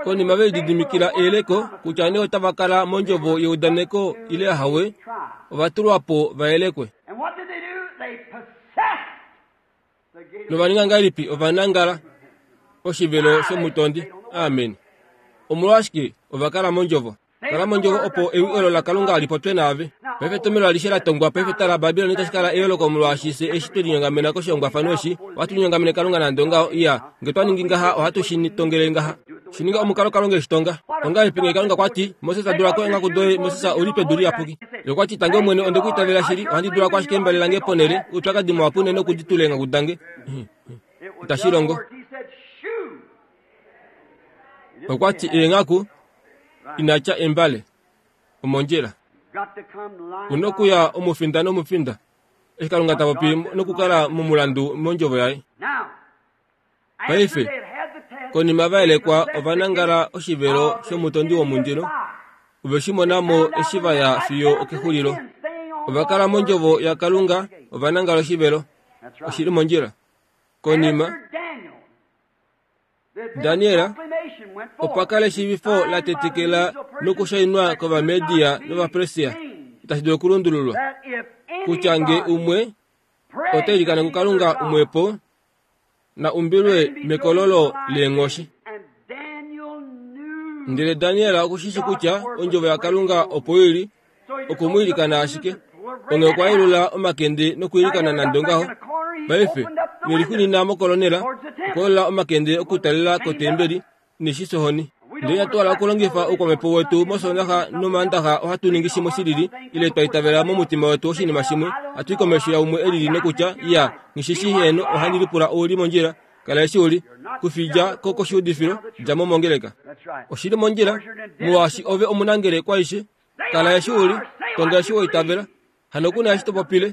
konima ve lididimikila eyeleko kutya nee otava kala mondjovo yeudaneko ile ahawe, ova tulwa po va yelekwe. Nova ninga ngahelipi? Ova nangala oshivelo shomutondi. Amen. Omolwashike ova kala mondjovo? Kala mondjovo opo ewi olo laKalunga li popye naave. Paife etomhelo alishe la tongwa paife tala Babilon itashi kala eyooloko molwaashi fye eshi twe linyongamena koshihongwafano eshi, ohatu linyongamene Kalunga nande ongaho. Iya, nge twa ningi ngaha ohatu shi tongele ngaha. Shi ninga omukalo Kalunga e shi tonga. Ongahelipi nge Kalunga kwa ti, Moses dula ko eenghaku doye, Moses ou li pedu liyapuki. Ye okwa ti, Tangi Omwene, onde ku itavela shili, ohandi dula ko ashike embale lange ponhele, oupyakadi muhapu unene oku di tula eenghaku dange. Itashi longo. Okwa ti eenghaku ina tya embale omondjila. Una okuya omufinda nomufinda eshi Kalunga ta popi nokukala momulandu mondjovo yaye. Paife, konima va yelekwa ova nangala oshivelo shomutondi womundilo, ove shi mona mo eshi va ya fiyo okexulilo. Ova kala mondjovo yaKalunga, ova nangala oshivelo. Oshi li mondjila. Konima Daniel opa kala eshiivifo la tetekela nokushainwa kOvamedia nOvapersia itashi dulu okulundululwa kutya nge umwe ota ilikana kuKalunga umwepo na umbilwe mekololo leenghoshi. Ndele Daniel oku shi shii kutya ondjovo yaKalunga opo i li, oku mu ilikana ashike. Onghee okwa yelula omakende nokwiilikana nande ongaho. Paife, ine lixunina mokolonela, okwa yelula omakende okutalela kotembeli, ine shi sohoni. Ndele inatu hala okulongifa oukwamhepo wetu mOsoondaxa nOmaandaxa ohatu ningi shimwe shilili, ile twa itavela momutima wetu oshinima shimwe, hatu i komesho yaumwe e lili nokutya, Iya, nghi shi shii heeno, ohandi lipula ou li mondjila. Kala eshi u li. Kufi dja ko koshiudifilo, dja mo mongeleka. Oshi li mondjila, molwaashi ove omunangele kwaishe. Kala eshi u li, tonga eshi wa itavela. Hano ku na eshi to popile.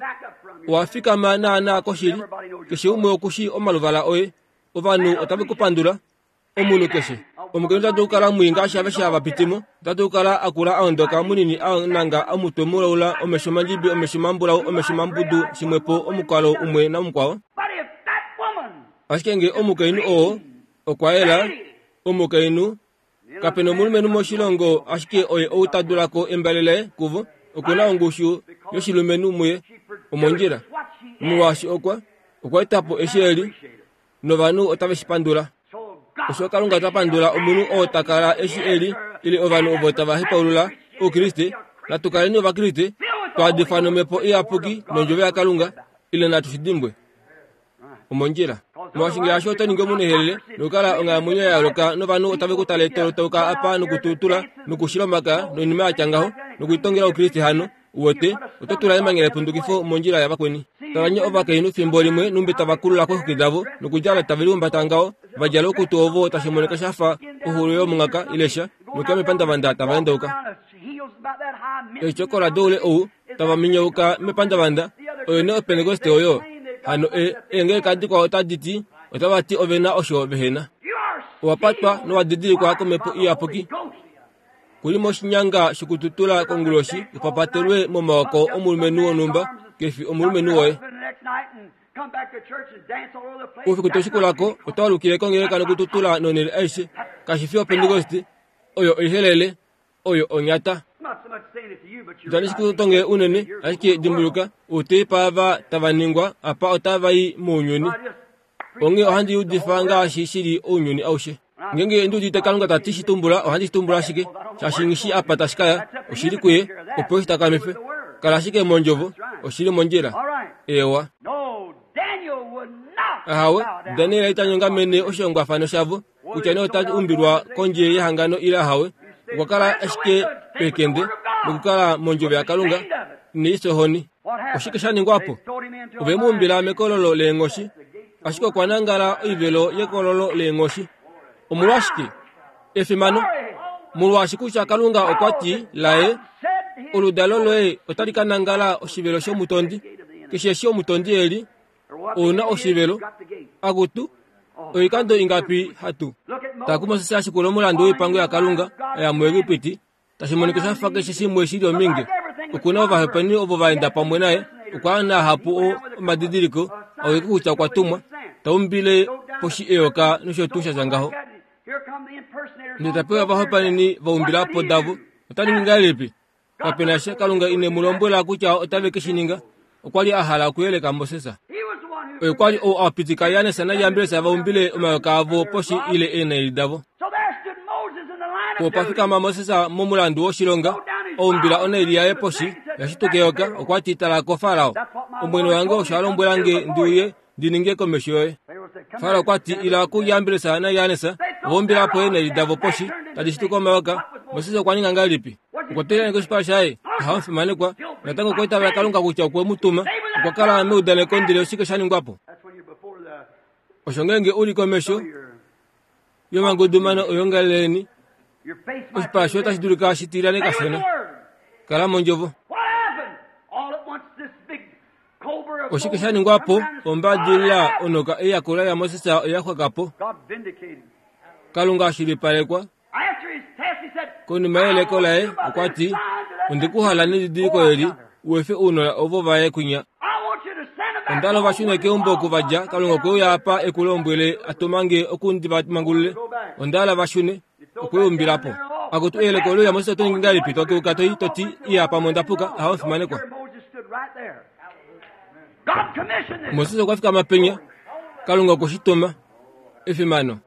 Owa fikama naanaa koshili. Keshe umwe oku shii omaluvala oye. Ovanhu otave ku pandula. Omunhu keshe. Omukainhu ota dulu okukala mwii ngaashi aveshe hava piti mo. Ota dulu okukala a kula a ondoka, munini a nanga, omutwe mulaula, omesho mandjibi, omesho mambulau, omesho mambudu, shimwepo, omukalo umwe namukwao. Ashike nge omukainhu oo okwa yela, omukainhu, Kape na omulumenhu moshilongo ashike oye ou ta dula ko embale laye kuvo, oku na ongushu yoshilumenhu muye omondjila. Molwaashi okwa, okwa eta po eshi e li, novanhu otave shi pandula. Osho Kalunga ta pandula omunhu oo ta kala eshi e li, ile ovanhu ovo tava hepaulula Oukriste. Natu kaleni Ovakriste, twa adifwa nOmhepo Iyapuki nOndjovo yaKalunga, ile natu shi dimbwe. Omondjila. Molwaashi ngaashi oto ningi omunehelele nokukala onghalamwenyo ya yooloka novanhu otave ku tale tolotauka apa nokututula nokushila omakaya noinima ya tya ngaho nokulitongela Oukriste hano, uwete, oto tula emanya lepundukifo mondjila yavakweni. Tala nye ovakainhu fimbo limwe numbi tava kulula koixuki davo nokudjala tave lihumbata ngaho, va djala oukutu ovo tashi monika sha fa oxulo yomungaka ile sha, nokuya mepandavanda tava endauka. Eetyokola doule ou tava minyauka mepandavanda, oyo nee Opentekoste oyo. Hano e, eengeleka dikwao otadi ti, otava ti ove na osho vehe na. Owa patwa nowa didilikwa kOmhepo Iyapuki. Ku li moshinyanga shokututula konguloshi u papatelwe momaoko omulumenhu wonhumba, ke fi omulumenhu woye. Oufiku toshikulako otwaalukile kongeleka nokututula nonhele aishe. Kashi fi opentekoste, oyo oihelele, oyo onyata. Itandi shi kutongele unene, ashike dimbuluka, outeipa ava tava ningwa apa otava i mounyuni. Onghee ohandi udifa ngaashi shili ounyuni aushe. Ngeenge ndi udite Kalunga ta ti shi tumbula, ohandi shi tumbula ashike, shaashi nghi apa tashi kaya, oshili kuye, opo eshi takamife. Kala ashike mondjovo, oshili mondjila. Ewa. Ahawe, Daniel ita nyongamene oshihongwafano shavo, kutya nee ota umbilwa kondje yehangano ile ahawe. Okwa kala ashike pekende nokukala mondjovo yaKalunga neisohoni. Oshike sha ningwa po? Ove mu umbila mekololo leenghoshi, ashike okwa nangala oivelo yekololo leenghoshi. Omolwashike? Efimano. Molwaashi kutya Kalunga okwa ti laye, oludalo loye otali ka nangala oshivelo shomutondi. Keshe eshi omutondi eli, ouna oshivelo. Akutu, oikando ingapi hatu taku Moses ashikula omulandu woipango yaKalunga aya muEgipiti, tashi monika sha fa keshe shimwe shili ominge. Okuna ovahepeni ovo vaenda pamwe naye, okwa na hapu omadidiliko aulike kutya okwa tumwa, taumbile poshi eyoka nosho tuu sha ngaho. Ndele tapewa ovahopaeneni vaumbilapo davo. Ota ningi ngahelipi? Kapena sha Kalunga ine mu lombwela kutya otave ke shi ninga. Okwa li a hala okuyeleka Moses. Oye kwa li ou a pitika Jannes naJambres vaumbile omayoka avo poshi ile eenaili davo. Opa fikama Moses momulandu woshilonga, oumbila onaili yaye poshi yashituka eyoka. Okwa ti, tala ko Farao, omwene wange osho a lombwela nge ndi uye ndi ninge komesho yoye. Farao okwa ti, ila kuJambres naJannes, voumbilapo eenaili davo poshi tadi shituka omayoka. Moses okwa ninga ngahelipi? Okwa tila koshipala shaye, ahamufimanekwa. Natango okwa itavela Kalunga kutya okwe mu tuma. Okwa kala meudaneko ndele oshike sha ningwa po? Osho ngeenge u li komesho yomangudumano oyongaleleni, oshipala shoye otashi dulika shi tilyane kashona. Kala mondjovo. Oshike sha ningwa po? Ombadilila onoka eyakula yaMoses oya xwaka po. Kalunga ashilipalekwa. Konima yeleko laye okwa ti, ondikuhala nedidiliko eli, uefe ounona ovo vaye kwinya. Ondalo vashune keumbo oku vadja, Kalunga okwe uya apa e ku lombwele a tumange oku ndi vamangulule. Ondala vashune okweumbilapo. Akutu eyeleko oluya Moses oto ningi ngahelipi? Tokeuka toi toti iya pamwe ondapuka, ahamufimanekwa. Moses okwa fikama penya, Kalunga okwe shi tuma. Efimano.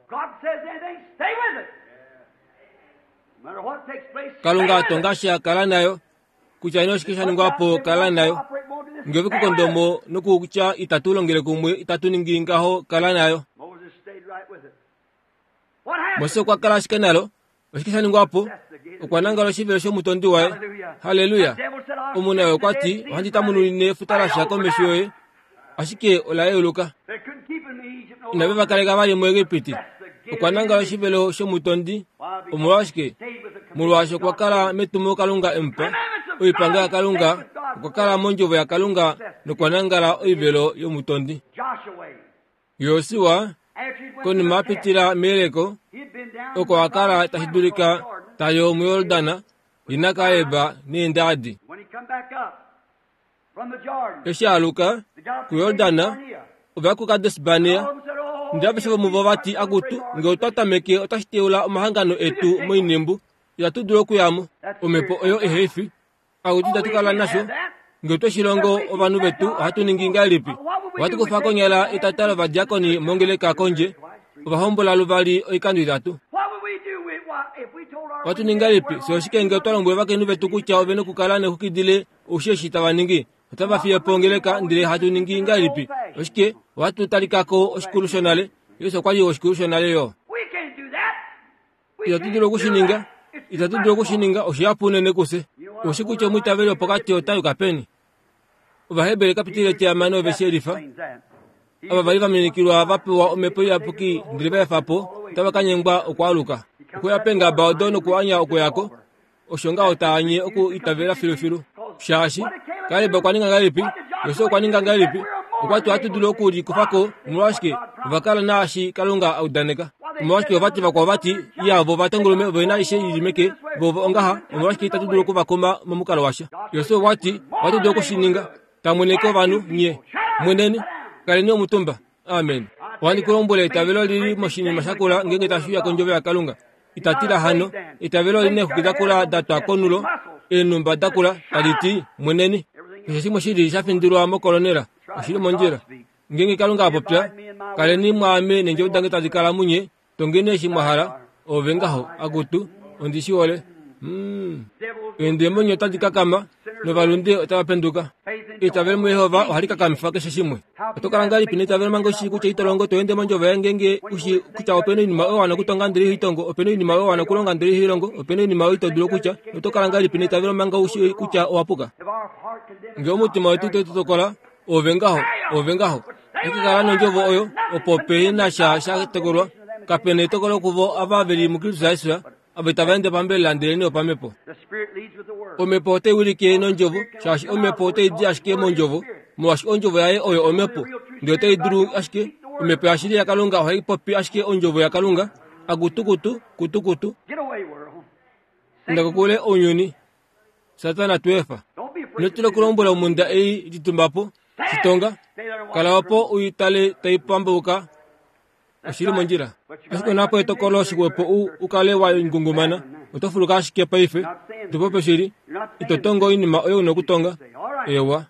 Kalunga atonga sha kala nayo, kutya ino oshike sha ningwa po kala nayo. Ngeve kukondomo nokutya itatu longele kumwe, itatu ningi ngaho kala nayo. Moses okwa kala ashike nalo. Oshike sha ningwa po? Okwa nangala oshivelo shomutondi waye. Haleluya. Omuna okwa ti, ohandi tamununine efuta lasha komesho yoye, ashike ola yeuluka. Inave va kaleka vali muEgipiti. Okwa nangala oshivelo shomutondi. Omolwashike? Molwaashi okwa kala metumo Kalunga emupa oipango yaKalunga, okwa kala mondjovo yaKalunga nokwa nangala oivelo yomutondi. Josua konima a pitila meyeleko, oko a kala tashi dulika tayo muYordana, ina Kaleb neendadi. Eshi aluka kuYordana, ova kuKades Barnea. Ndele aveshe vomuvo vati, akutu, nge otwa tameke otashi teula omahangano etu moinimbu, itatu dulu okuyamo. Omhepo oyo eheifi. Akutu itatu kala nasho. Nge otwe shi longo ovanhu vetu, ohatu ningi ngahelipi? Ohatu kufa konyala etata lovadiakoni mongeleka kondje, ovahombola luvali oikando itatu. Ohatu ningi ngahelipi? Se oshike nge otwa lombwele ovakainhu vetu kutya ove nokukala nexukidile oushi eshi tava ningi? Otava fiye po ongeleka, ndele hatu ningi ngahelipi? Oshike? Ohatu talikako oshikulu shonale. Jesus okwa li oshikulu shonale yo. Itatu dulu okushininga. Itatu dulu okushininga, oshihapu unene kufye. Oshi kutya omwiitaveli wopokati ota yuka peni? Ovaheberi kapitile etihamano ove shi elifa. Ava vali vaminikilwa va pewa omhepo iyapuki ndele va efa po, otava ka nyengwa okwaaluka. Okuya peengaba odo nokuanya okuyako, osho ngaho taanye oku itavela filufilu. Shaashi Kaleb okwa ninga ngahelipi? Josua okwa ninga ngahelipi? Okwa ti ohatu dulu okulikufako. Omolwashike? Ova kala naashi Kalunga a udaneka. Omolwashike ovati vakwao vati, iya vo ovatongolume ove na aishe ili meke, vo ongaha, omolwashike itatu dulu okuvakuma momukalo washa? Josua okwa ti ohatu dulu okushininga. Tamweneke ovanhu nye. Mweneni, Kaleni omutumba. Amen. Ohandi ku lombwele eitavelo lili moshinima shakula ngeenge tashi uya kondjovo yaKalunga. Itatila hano, eitavelo oli neexwiki dakula da twa konulo, eenhumba dakula tadi ti mweneni. Keshe shimwe shili sha findilwa mokolonela, oshili mondjila. Ngeenge Kalunga a popya, kaleni mwaame neendjovo dange tadi kala munye, tongeni eshi mwa hala, ove ngaho, akutu, ondi shi hole. Mm. Eendemoni otadi kakama, novalunde otava penduka. Eitavelo muJehova ohali kakamifa keshe shimwe. Oto kala ngahelipi neitavelo manga ushi kutya ito longo to ende mondjovo yaye ngeenge ushi kutya opena oinima oyo wana okutonga ndele ihoi tongo, opena oinima oyo wana okulonga ndele ihoi longo, opena oinima oyo ito dulu okutya, noto kala ngahelipi neitavelo manga ushi kutya owa puka? Ngee omutima wetu itau tu tokola, ove ngaho, ove ngaho. Ashike kala nondjovo oyo, opo pehe na sha sha tokolwa. Kapena etokolo kuvo ava ve li muKristus Jesus, ava itava ende pambelela ndelenee opamhepo. Omhepo otai wilike nondjovo, shaashi omhepo otai di ashike mondjovo, molwaashi ondjovo yaye oyo omhepo. Ndele otai dulu ashike, omhepo yashili yaKalunga ohai popi ashike ondjovo yaKalunga, akutukutu, kutukutu. Inda kokule ounyuni, Satana tu efa. Ino tila okulombwela omhunda ei litumba po, shitonga, kala opo u tale tai pambauka oshili mondjila. Ashike onapo etokolo shixwepo u u kale wa ngungumana, oto fuluka ashike paife, to popi oshili, ito tongo oinima oyo una okutonga. Ewa.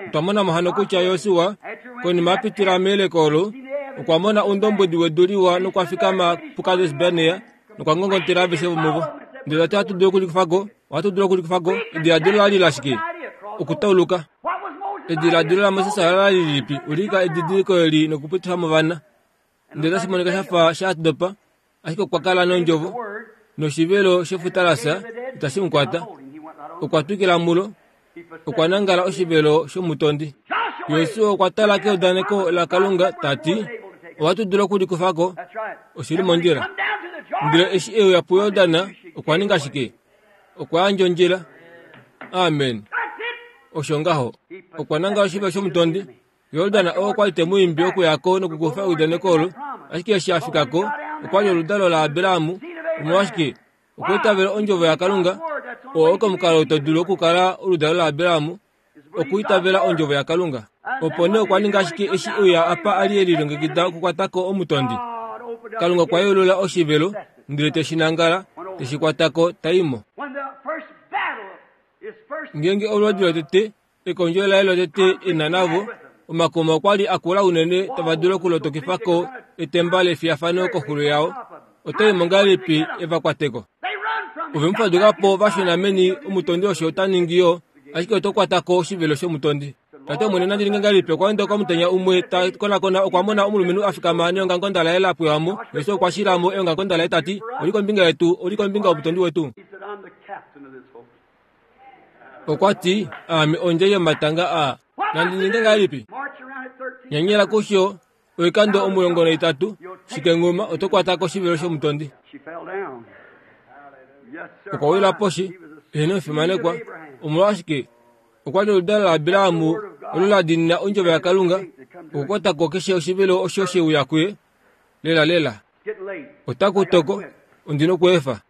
Otwa mona mo hano kutya Josua, konima a pitila meyeleko olo, okwa mona oundombwedi wedu liwa nokwa fikama puKades Barnea nokwa ngongotela aveshe vomuvo. Ndele ta ti ohatu dulu okulikufa ko, ohatu dulu okulikufa ko. Ediladilo la li lashike? Okutauluka. Ediladilo laMoses ola li lilipi? Ulika edidiliko eli nokupitifa movana. Ndele otashi monika sha fa sha dopa, ashike okwa kala nondjovo, noshivelo shefuta la fya itashi mu kwata. Okwa twikila mulo, okwa nangala oshivelo shomutondi. Josua okwa tala keudaneko laKalunga ta ti, ohatu dulu okulikufa ko, oshili mondjila. Ndele eshi e uya puJordan, okwa ninga shike? Okwa yandja ondjila. Amen. Osho ngaho. Okwa nangala oshivelo shomutondi. Jordan oo kwa li te mu imbi okuya ko nokukufa eudaneko olo, ashike eshi a fika ko, okwa li oludalo laAbraham. Omolwashike? Okwa itavela ondjovo yaKalunga. Oo oko omukalo to dulu okukala oludalo laAbraham, okuitavela ondjovo yaKalunga. Opo nee okwa ninga ashike eshi e uya apa a li e lilongekida okukwata ko omutondi. Kalunga okwa yeulula oshivelo, ndele te shi nangala, te shi kwata ko, ta i mo. Ngeenge olwoodi lotete, ekondjo laye lotete e na navo, omakuma okwa li a kula unene tava dulu okulotokifa ko etemba lefiyafano koxulo yao. Otai mo ngahelipi e va kwate ko? Ove mu faduka po va shuna meni, omutondi osho ota ningi yo, ashike oto kwata ko oshivelo shomutondi. Tate Omwene nandi ninge ngahelipi? Okwa enda komutenya umwe ta konakona, okwa mona omulumenhu a fikama neongakonda laye la pwewa mo. Jesus okwa shila mo eongakonda laye ta ti, Oli kombinga yetu, oli kombinga yomutondi wetu. Okwa ti, Aame ondjai yomatanga aa. Nandi ninge ngahelipi? Nyanyela kusho oikando omulongo naitatu, shikenguma oto kwata koshivelo shomutondi. Okwa wila poshi, eheno omufimanekwa. Omolwashike? Okwa li oludalo laAbraham olo la diinina ondjovo yaKalunga, okukwata ko keshe oshivelo osho she uya kuye. Lela lela. Otaku toko, ondi nokweefa.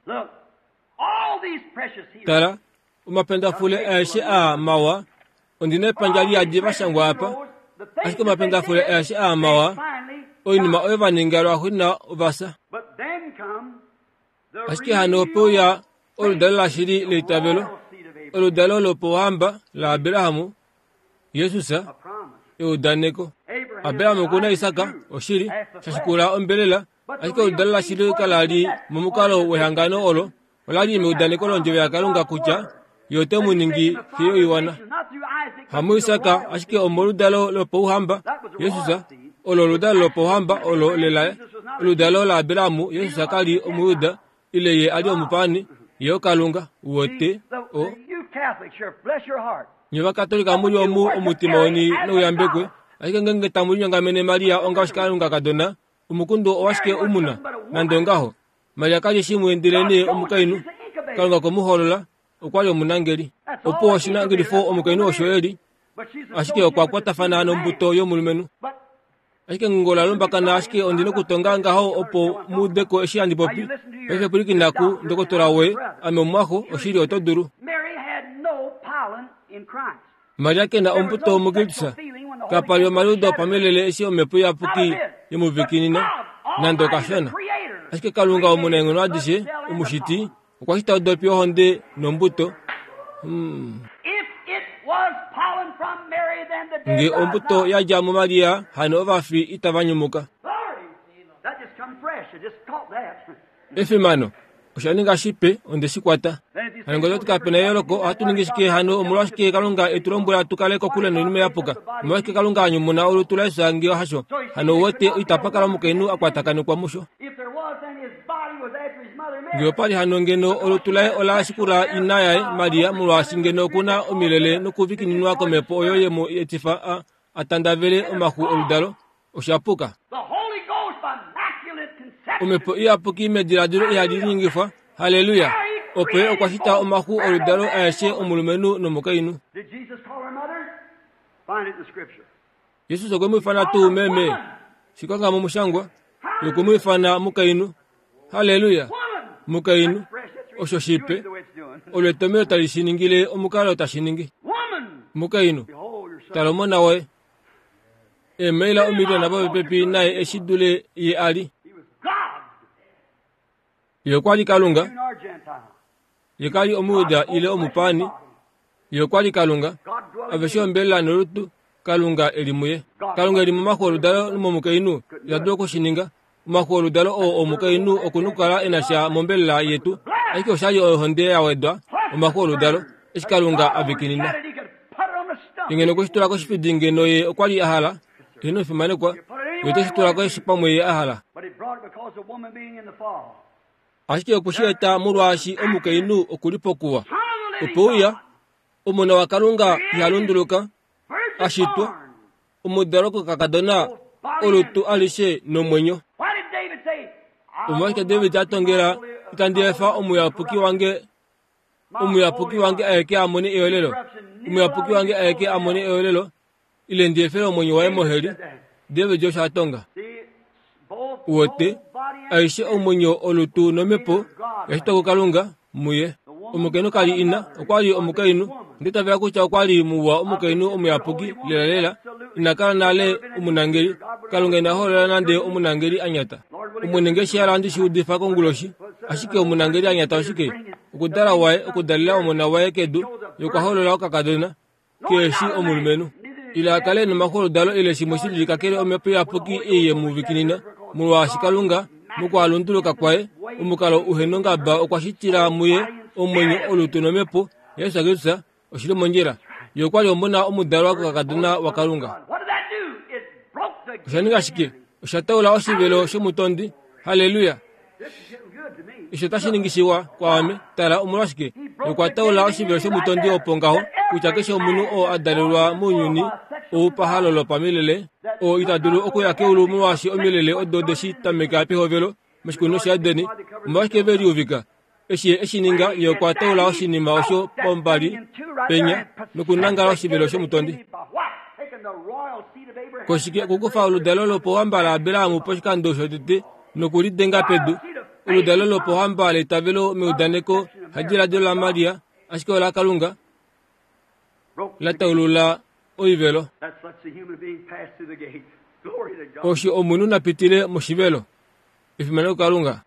Tala, omapendafule aeshe aa mawa, ondi na epandja liyadi va shangwa apa, ashike omapendafule aeshe aa mawa, oinima oyo va ninga lwaxuuninwa ova fya. Ashike hano ope uya oludalo lashili leitavelo, oludalo lopouhamba laAbraham, Jesus, eudaneko. Abraham oku na Isak, oshili, sha shikula ombelela, ashike oludalo lashili kala li momukalo wehangano olo, ola li meudaneko londjovo yaKalunga kutya ye ote mu ningi xe yoiwana. HamuIsak, ashike omoludalo lopouhamba, Jesus, olo oludalo lopouhamba olo lela oludalo laAbraham. Jesus ka li Omujuda, ile ye a li omupaani, ye oKalunga, wote o. Nye Ovakatolika mu li omu omutima weni nouyambekwe, ashike ngeenge tamu linyongamene Maria onga oshikalungakadona, omukundu owashike u mu na? Nande ongaho, Maria ka li shimwe ndelenee omukainhu. Kalunga okwe mu hoolola, okwa li omunangeli. Opo oshinangelifo omukainhu osho e li, ashike okwa kwatafana nombuto yomulumenhu. Ashike ngongo la lumbakana, ashike ondi nokutonga ngaho opo mu ude ko eshi handi popi. Paife pwilikina ku ndokotola woye, ame omumwaxo, oshili oto dulu. Maria ke na ombuto muKristus. Kapa li omaliudo opamilele eshi omhepo iyapuki yemuvikinina nande okashona. Ashike Kalunga omunaenghono adishe, omushiti, okwa shita odopi yohonde nombuto. Hmm. Nge ombuto yadja muMaria, hano ovafi itava nyumuka. Efimano osha ninga shipe, onde shi kwata. Hano ngee otwati kapena eyooloko, ohatu ningi shike hano? Omolwashike Kalunga e tu lombwela tu kale kokule noinima yapuka? Omolwashike Kalunga a nyumuna olutu laJesus ngee hasho? Hano uwete, itapa kala omukainhu a kwatakanekwa musho. Ngee opa li hano ngeno olutu laye ola shikula ina yaye Maria, molwaashi ngeno okuna omilele nokuvikininwa komhepo oyo ye mu etifa a, a tandavele omaxu oludalo, osha puka. Omhepo iyapuki mediladilo ihali linyengifwa. Halleluya! Opo ye okwa shita omaxu oludalo aeshe omulumenhu nomukainhu. Jesus okwe mu ifana tuu meme? Shikanga momushangwa, ye okwe mu ifana mukainhu. Halleluya! Mukainhu, osho shipe, olo etomhelo tali shi ningile omukalo tashi ningi. Mukainhu, tala omona woye. Eemaila omiliona popepi naye eshi dule ye a li. Ye okwa li Kalunga. Ye ka li Omujuda ile omupaani. Ye okwa li Kalunga. Aveshe ombelela nolutu, Kalunga e li muye. Kalunga e li momaxu oludalo momukainhu, ita dulu oku shi ninga. Omaxu oludalo oo omukainhu oku nokukala e na sha mombelela yetu, ashike osha li ohonde ya wedwa omaxu oludalo, eshi Kalunga a vikinina. Ye ngeno okwe shi tula koshifidi ngeno ye okwa li a hala, eheno fimanekwa, ye ote shi tula keshe pamwe ye a hala. Ashike okwe shi eta molwaashi omukainhu oku li pokuwa. Ope uya, Omona waKalunga iha lunduluka, a shitwa, omudalwa kokakadona, olutu alishe nomwenyo. Omolwashike David a tongela, Itandi efa omuyapuki wange omuyapuki wange aeke a mone eolelo, omuyapuki wange aeke a mone eolelo, ile ndi efele omwenyo waye moheli? David osho a tonga. Uwete, aishe omwenyo, olutu nomhepo ya shitwa kuKalunga muye. Omukainhu ka li ina, okwa li omukainhu. Onda itavela kutya okwa li muwa omukainhu omuyapuki lelalela. Ina kala nale omunangeli. Kalunga ina holola nande omunangeli a nyata. Omwene nge shi hala handi shi udifa konguloshi. Ashike omunangeli a nyata oshike? Okudala waye, okudalela omona waye kedu, ye okwa holola okakadona, kehe shi omulumenhu. Ile a kale nomaxoludalo ile shimwe shi lili kakele omhepo iyapuki ei ye mu vikinina, molwaashi Kalunga, mokwaalunduluka kwaye, omukalo uhe nongaba okwa shitila muye omwenyo, olutu nomhepo yaJesus Kristus, oshi li mondjila. Ye okwa li omona omudalwa kokakadona waKalunga. Osha ninga shike? Osha taula oshivelo shomutondi. Halleluya! Osho otashi ningi shiwa kwaame. Tala, omolwashike? Ye okwa taula oshivelo shomutondi opo ngaho, kutya keshe omunhu oo a dalelwa mounyuni ou pahalo lopamilele, oo ita dulu okuya keulu molwaashi omilele odo de shi tameka pehovelo moshikunino shaEden, omolwashike ve liuvika? Eshi ye e shi ninga, ye okwa taula oshinima osho pombali penya nokunangala oshivelo shomutondi. Koshike okukufa oludalo lopouhamba laAbraham poshikando shotete nokulidenga pedu, oludalo lopouhamba leitavelo meudaneko, hadiladilo laMaria, ashike olaKalunga, la taulula oivelo. Osho omunhu na pitile moshivelo. Efimano kuKalunga.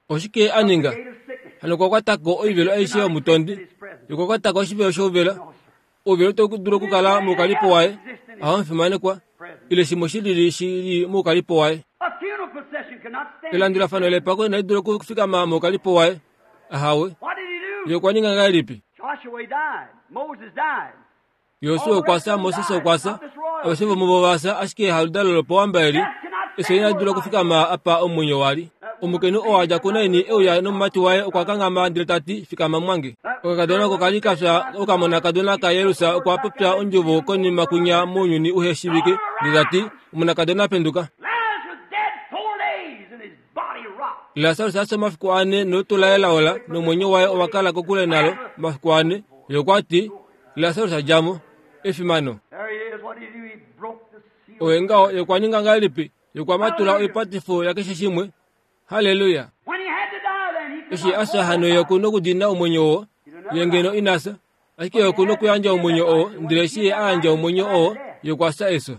Oshike a ninga? Hano okwa kwata ko oivelo aishe yomutondi. Okwa kwata ko oshivelo shouvela. Ouvela otau dulu okukala moukalipo waye, ahamufimanekwa, ile shimwe shi lili shi li moukalipo waye. Elandulafano lepako inali dula okufikama moukalipo waye. Ahawe. Ye okwa ninga ngahelipi? Josua okwa fya, Moses okwa fya, aveshe vomuvo ova fya, ashike haludalo lopowamba eli, efyo inali dula okufikama apa omwenyo wa li. Omukainhu oo a dja kuNain e uya nomumati waye okwa kanghama ndele ta ti, Fikama mwange. Okakadona oko ka li ka fya, okamonakadona kaJairus okwa popya ondjovo konima kwinya mounyuni uhe shiivike ndele ta ti, Omonakadona penduka. Lasarus a fya omafiku ane nolutu laye la ola nomwenyo waye owa kala kokule nalo omafiku ane. Ye okwa ti, Lasarus a dja mo. Efimano! Oye ngaho, ye okwa ninga ngahelipi? Ye okwa matula oipatifo yakeshe shimwe. Halleluya! Eshi a fya hano ye oku nokudina omwenyo oo, ye ngeno ina fya. Ashike oku nokuyandja omwenyo oo, ndele eshi ye a yandja omwenyo oo, ye okwa fya efyo.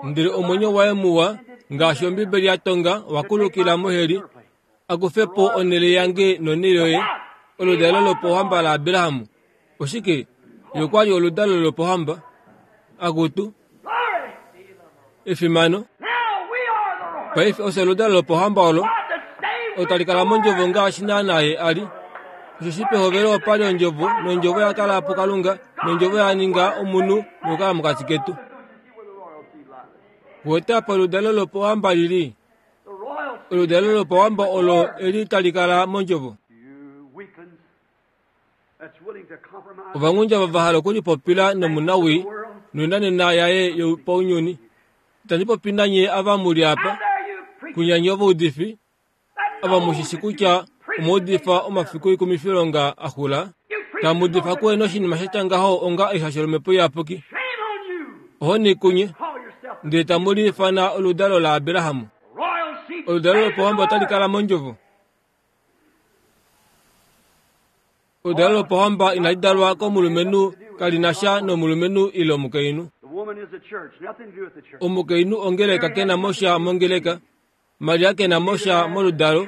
Ndele omwenyo waye muwa, ngaashi Ombibeli ya tonga, wa kulukila moheli, a kufe po onhele yange nonhele yoye, oludalo lopohamba laAbraham. Oshike? Ye okwa li oludalo lopohamba. Akutu efimano. Paife osho oludalo lopohamba olo otali kala mondjovo ngaashi naana ye a li. Osheshi pehovelo opa li ondjovo, nondjovo ya kala puKalunga, nondjovo ya ninga omunhu nokukala mokati ketu. Wete apa oludalo lopohamba lili. Oludalo lopohamba olo eli tali kala mondjovo. Ovanghundja va hala okulipopila nomunawii noinanena yaye yopaunyuni. Itandi popi nanye ava mu li apa, kunyanye ovaudifi, ava mushishi kutya omaudifa omafiku ikumifilonga a xula, tamuudifa kuhena oshinima sha tya ngaho onga eihasho lomhepo iyapuki. Ohoni kunye, ndele tamu liifana oludalo laAbraham. Oludalo lopohamba otali kala mondjovo. Oludalo lopohamba inali dalwa komulumenhu, kali na sha nomulumenhu ile omukainhu. Omukainhu ongeleka ke na mo sha mongeleka. Maria ke na mo sha moludalo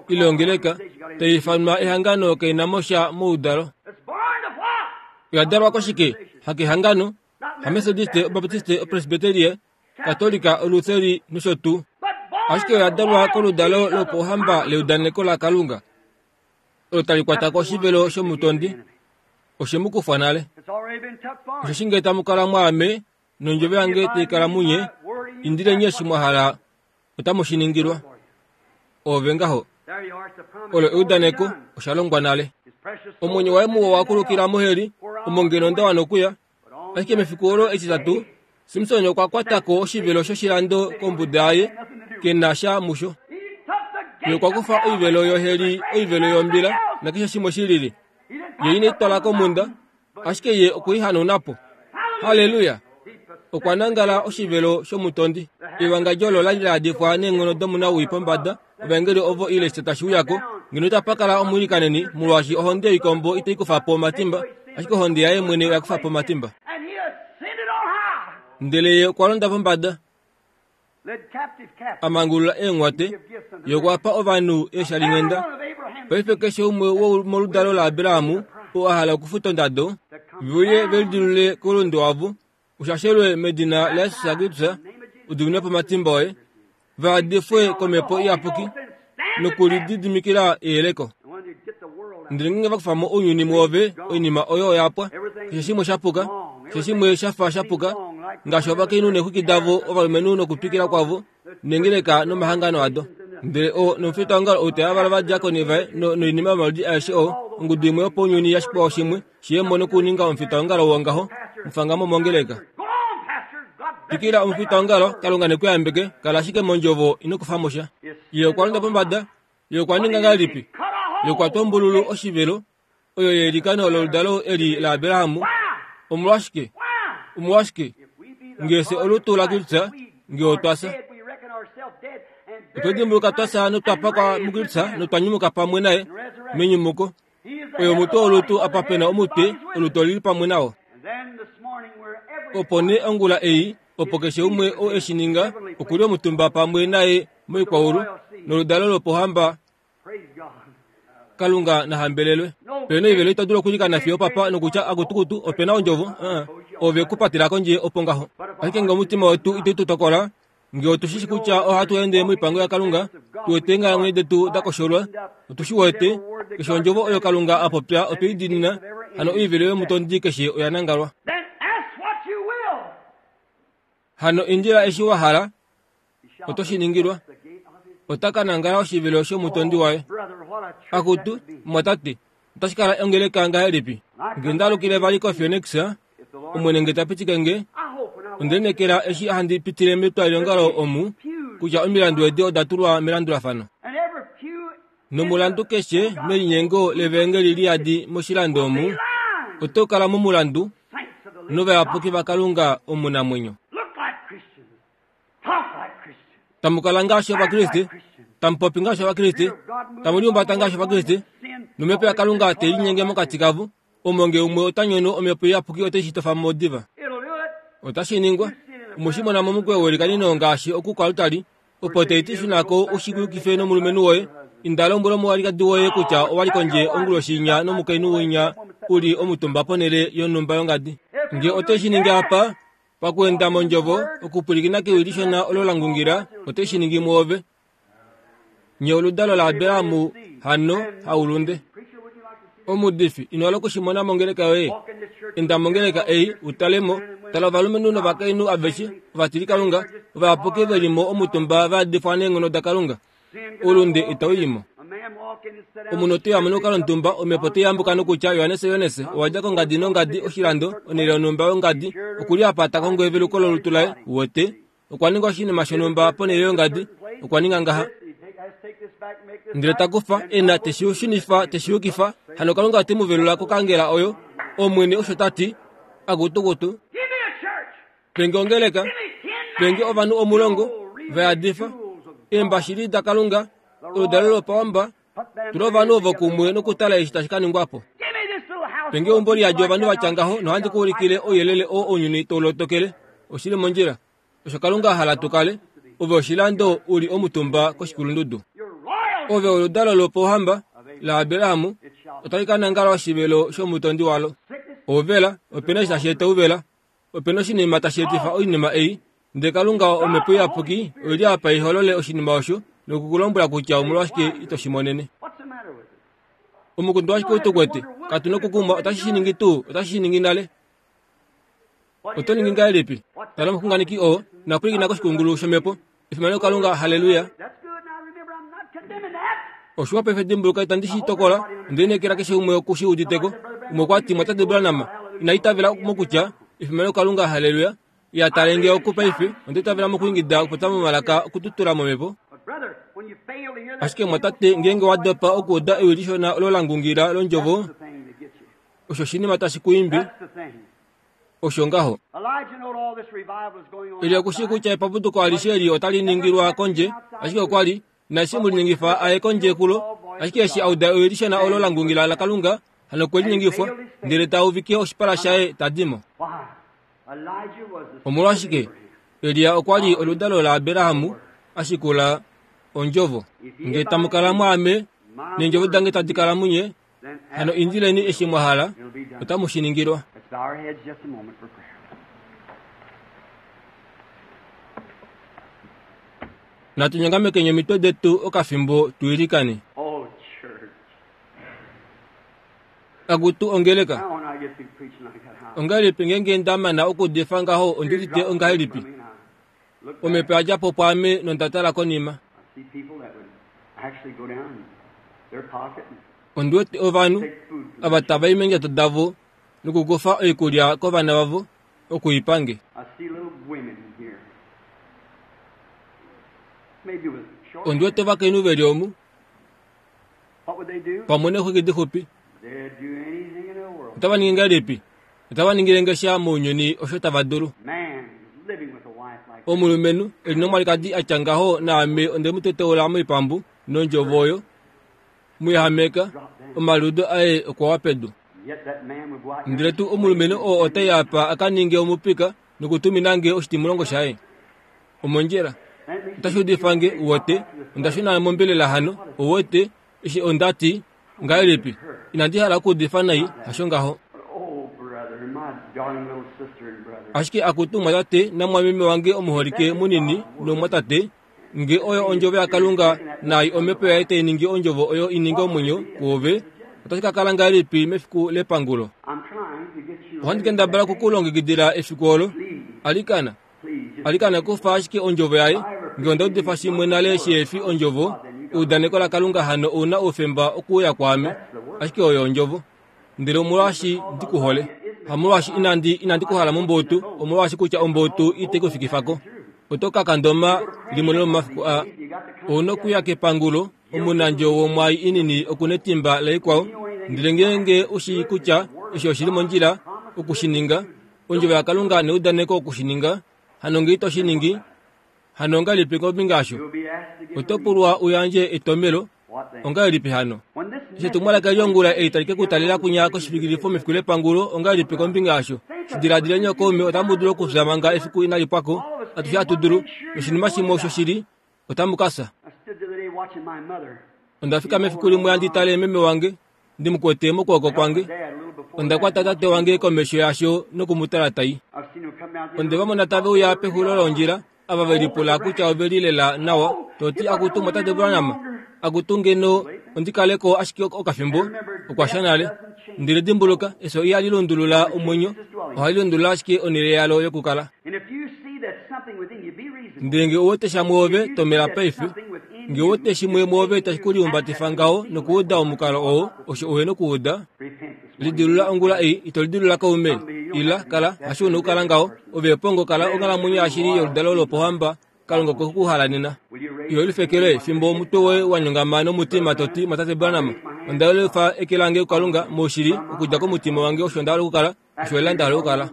ile ongeleka, tai ifanwa ehangano ke na mo sha moudalo. Oya dalwa koshike? Hakehangano, hamethodiste, obaptiste, opresbyterie, katolika, olutheri nosho tuu. Ashike oya dalwa koludalo lopohamba leudaneko laKalunga, olo tali kwata ko oshivelo shomutondi. Oshe mu kufwa nale. Osheshi ngee tamu kala mwaame, nondjovo yange tai kala munye, indileni eshi mwa hala, otamu shi ningilwa. Ove ngaho. Olo eudaneko, osha longwa nale. Omwenyo waye muwa wa kulukila moheli, omo ngeno nda wana okuya. Ashike mefiku olo etitatu, Simson okwa kwata ko oshivelo shoshilando kombuda yaye, ke na sha musho. Ye okwa kufa oivelo yoheli, oivelo yombila, nakeshe shimwe shi lili. Ye ine twala komunda, ashike ye okwe i hanauna po. Halleluya! Okwa nangala oshivelo shomutondi. Ewangadjo olo la li la yadifwa neenghono domunawii pombada, ovaengeli ovo ile eshi tashi uya ko, ngeno itapa kala omwiilikaneni, molwaashi ohonde yoikombo itai kufa po omatimba, ashike ohonde yaye mwene oya kufa po omatimba. Ndele ye okwa londa pombada, a mangulula eenghwate, ye okwa pa ovanhu eeshalinghenda. Paife keshe umwe womoludalo laAbraham oo a hala okufuta ondado, ve uye ve lidilulule koulunde wavo, ushashelwe medina laJesus Kristus, udiminwe po omatimba oye, va yadifwe komhepo iyapuki nokulididimikila eyeleko. Ndele ngeenge va kufa mo ounyuni mwoove, oinima oyo oya pwa. Keshe shimwe sha puka, keshe shimwe sha fa sha puka, ngaashi ovakainhu neexwiki davo, ovalumenhu nokutwikila kwavo, nengeleka nomahangano ado. Ndele o nomufitaongalo ou teyavala ovadiakoni vaye noinima yomaludi aeshe oo, ongudu imwe yopaunyuni ya shikwao shimwe, shi ye mo nokuninga omufitaongalo wongaho, mufanga mo mongeleka. Twikila omufitaongalo, Kalunga ne ku yambeke, kala ashike mondjovo, ino kufa mo sha. Ye okwa londa pombada, ye okwa ninga ngahelipi? Ye okwa twa ombululu oshivelo, oyo yeilikano loludalo eli laAbraham. Omolwashike? Omolwashike? Ngee fye olutu laKristus, ngee otwa fya. Otwa dimbuluka twa fya notwa pakwa muKristus notwa nyumuka pamwe naye menyumuko. Oyo omutwe wolutu apa pe na omutwe, olutu olili pamwe nawo. Opo nee ongula ei, opo keshe umwe oo eshi ninga, okuli omutumba pamwe naye moikwaulu, noludalo lopohamba. Kalunga na hambelelwe. Pena oivelo ito dulu okulikana fiyo papa nokutya akutukutu opena ondjovo, ove ku patela kondje opo ngaho. Ashike ngee omutima wetu itau tu tokola, ngee otu shi kutya ohatu ende moipango yaKalunga, tu wete eenghalamwenyo detu da kosholwa, otu shi wete, keshe ondjovo oyo Kalunga a popya otwe i diinina, hano oivelo yomutondi keshe oya nangalwa. Hano indila eshi wa hala, oto shi ningilwa. Ota ka nangala oshivelo shomutondi waye. Akutu, mwatate, otashi kala ongeleka ngahelipi? Nge ndalukile vali koPhoenix, Omwene nge ta pitike nge, onde lineekela eshi handi pitile metwalilongalo omu, kutya omilandu edi oda tulwa melandulafano. Nomulandu keshe melinyengo levaengeli liyadi moshilando omu, oto kala momulandu novayapuki vaKalunga omunamwenyo. Tamu kala ngaashi Ovakriste, tamu popi ngaashi Ovakriste, tamu lihumbata ngaashi Ovakriste, nomhepo yaKalunga te linyenge mokati kavo, Omo nge umwe ota nyono omhepo iyapuki ote shi tofa mo diva. Otashi ningwa. Omushimona momukweyo welikanino ngaashi okukwalutali opo teiti shunako ushikuyukife nomulumenhu woye. Inda lombwela omuwalikadi woye kutya owali kondje onguloshi inya nomukainhu winya uli omutumba ponhele yonhumba yongadi. Nge ote shi ningi apa pakuenda mondjovo okupwilikina kewi lishona olo la ngungila ote shi ningi mwoove. Nye oludalo la Abrahamu hano haulunde. Omudifi ino hala okushimona mongeleka yoye. Enda mongeleka ei utalemo tala ovalumenhu novakainhu aveshe ovatilikalunga ovayapuki velimo omutumba va yadifwa neenghono daKalunga. Ulunde itau yimo. Omunhu ote ya monokalo ntumba omhepo teyambuka nokutya Johannes Johannes owadja kongadi nongadi oshilando onhele yonhumba yongadi okuli apa ta kongo eveluko lolutu laye wote okwa ninga oshinima shonhumba ponhele yongadi okwa ninga ngaha ndele takufa ena teshishunifa teshiyukifa hano Kalunga ote mu velula kokangela oyo Omwene osho tati akutukutu penge ongeleka penge ovanhu omulongo vayadifa eembashili daKalunga oludalo lopawamba tula ovanhu ovo kumwe nokutala eshi tashi ka ningwapo. Penge eumbo liyadi ovanhu vatya ngaho nohandi ku ulikile ouyelele oo ounyuni taulotokele oshili mondjila osho Kalunga a hala tu kale ove oshilando uli omutumba koshikulundudu. Ove oludalo lopauhamba la Abrahamu otali ka nangala oshivelo shomutondi walo. Ouvela opena eshi tashi eta ouvela opena oshinima tashi etifa oinima ei ndele Kalunga omhepo iyapuki oili apa iholole oshinima osho nokukulombwela kutya omolwashike ito shi monene. Omukundu washike utukwete katu nokukumwa otashi shi ningi tuu otashi shi ningi nale. Oto ningi ngahelipi? Tala omuxunganeki oo napwilikina koshikungulu shomhepo. Efimano Kalunga, haleluya. Oshiwa paife dimbuluka itandi shi tokola onde lineekela keshe umwe oku shi uditeko. Umwe okwa ti mwatate Branham ina itavela mokutya efimano Kalunga, haleluya. Ya talenge oku paife onde itavela mokuingida okupopya momalaka okututula momhepo. Ashike mwatate ngeenge wa dopa okuuda ewi lishona olo la ngungila londjovo osho oshinima tashi ku imbi osho ngaho. Elia okushii kutya epapuduko alishe eli otali ningilwa kondje ashike okwa li inashi mu linyengifa aye kondje kulo ashike eshi a uda ewi lishona olo la ngungila laKalunga hano okwe linyengifwa ndele ta uvike oshipala shaye ta di mo. Omolwashike Elia okwa li oludalo la Abrahamu ashikula ondjovo. Nge tamu kala mwaame neendjovo dange tadi kala munye hano indileni eshi mwa hala otamu shi ningilwa. Natu nyongamekeni omitwe detu okafimbo tuilikane. Akutu ongeleka ongahelipi ngeenge nda mana okuudifa ngaho ondi udite ongahelipi? Omhepo yadja po pwaame nonda tala konima. Ondi wete ovanhu ava tava i meendjato davo nokukufa oikulya kovana vavo okuipange. Ondi wete ovakainhu veli omu pamwe neexwiki dixupi. Otava ningi ngahelipi? Otava ningile nge sha mounyuni osho tava dulu. Omulumenhu eli nomwalikadi atya ngaho naame onde mu teteula moipambu nondjovo oyo muyahameka omaliudo aye okwa wa pedu. Ndele tuu omulumenhu oo otai apa a ka ninge omupika nokutumina nge oshitimulongo shaye. Omondjila otashi udifa nge uwete onda shuna mombelela hano uwete eshi onda ti ngahelipi inandi hala okuudifa nai hasho ngaho. Ashike akutu mwatate namwameme wange omuholike munini nomwatate nge oyo ondjovo yaKalunga naai omhepo yaye tai ningi ondjovo oyo i ninge omwenyo kuove otashi ka kala ngahelipi mefiku lepangulo. Ohandi kendabala okukulongekidila efiku olo. Alikana alikana kufa ashike ondjovo yaye nge onda udifa shimwe nale shihefi ondjovo eudaneko laKalunga hano ouna oufemba okuuya kwaame ashike oyo ondjovo. Ndele omolwaashi ndi ku hole hamolwaashi inandi inandi kuhala momboutu omolwaashi kutya omboutu ite kufikifako. Oto ka kandoma limwe lomomafiku a ouna okuya kepangulo omunandjo womwai inini okunetimba laikwao ndele ngeenge ushii kutya eshi oshili mondjila okushininga ondjovo yaKalunga neudaneko okushininga hano nge ito shi ningi hano ongahelipi kombinga yasho? Oto pulwa uyandje etomelo ongahelipi hano? Eshi etumwalaka liongula ei tali ke ku talela kunya koshifikilifo mefiku lepangulo, ongahelipi kombinga yasho? Shidiladileni okaume, otamu dulu okufya manga efiku inali pwako. Atushe hatu dulu. Noshinima shimwe osho shili, otamu ka fya. Onda fika mefiku limwe handi tale meme wange, ndi mu kwete mokwooko kwange. Onda kwata tate wange komesho yasho noku mu tala tai. Onde va mona tave uya pexulo londjila, ava ve lipula kutya ove li lela nawa, to ti akutu mwatate Branham, akutu ngeno ondi kaleko ashike okafimbo, okwa sha nale. Ndele dimbuluka, efyo ihali lundulula omwenyo, ohali lundulula ashike onhele yalo yokukala. Ndele nge ouwete sha mwoove, tomela paife. Nge ouwete shimwe mwoove tashi ku liumbatifa ngaho nokuuda omukalo oo, osho uhe nokuuda. Lidilula ongula ei, ito lidilula kaume. Ila, kala, hasho una okukala ngaho. Ove pongo kala onghalamwenyo yashili yoludalo lopohamba, Kalunga okwe ku hala nena. Iho lifekele fimbo omutwe woye wa nyongama nomutima to ti, Mwatate Branham, onda yelifa eke lange kuKalunga moushili okudja komutima wange osho nda hala okukala, osho lela nda hala okukala.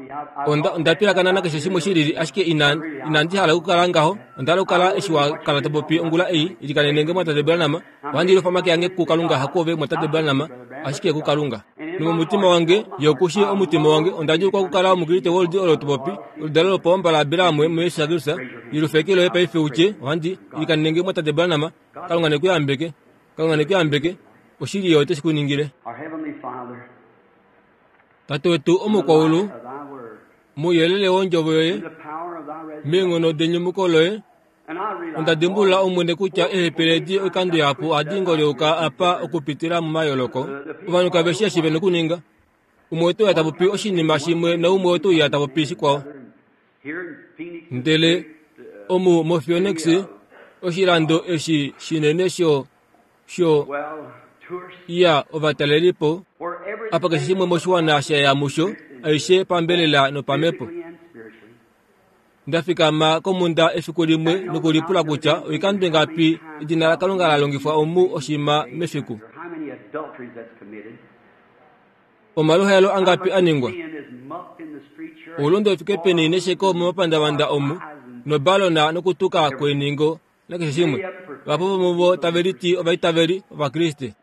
Onda, onda pilakana nakeshe shimwe shilili, ashike ina, inandi hala okukala ngaho. Onda hala okukala eshi wa kala to popi ongula ei, ilikanene Mwatate Branham. Ohandi lifa omake ange kuKalunga, hakuove Mwatate Branham, ashike kuKalunga. Nomomutima wange, ye oku shii omutima wange, onda djuulukwa okukala Omukriste woludi olo to popi, oludalo lopohamba laAbraham muJesus Kristus. Lilufa eke loye paife u tye, ohandi ilikanene Mwatate Branham. Kalunga ne ku yambeke. Kalunga ne ku yambeke. Oshili ye ote shi ku ningile. Tate wetu omukwaulu, mouyelele wondjovo yoye, meenghono denyumuko loye, onda dimbulula Omwene kutya eehepele edi oikando ihapu ohadi ngolyoka apa okupitila momayooloko. Ovanhu kave shii eshi ve nokuninga. Umwe ote uya ta popi oshinima shimwe naumwe ote uya ta popi shikwao. Ndele omu moPhoenix, oshilando eshi shinene sho sho ya ovatalelipo, apa keshe shimwe moshiwana sha ya musho, aishe pambelela nopamhepo. Nda fikama komhunda efiku limwe nokulipula kutya oikando ingapi edina laKalunga la longifwa omu oshima mefiku. Omaluhaelo angapi a ningwa? Oulunde ufike peni nesheko momapandavanda omu, nobalona nokutuka kweeningo nakeshe shimwe. Vahapu vomuvo tave liti ovaitaveli Ovakriste.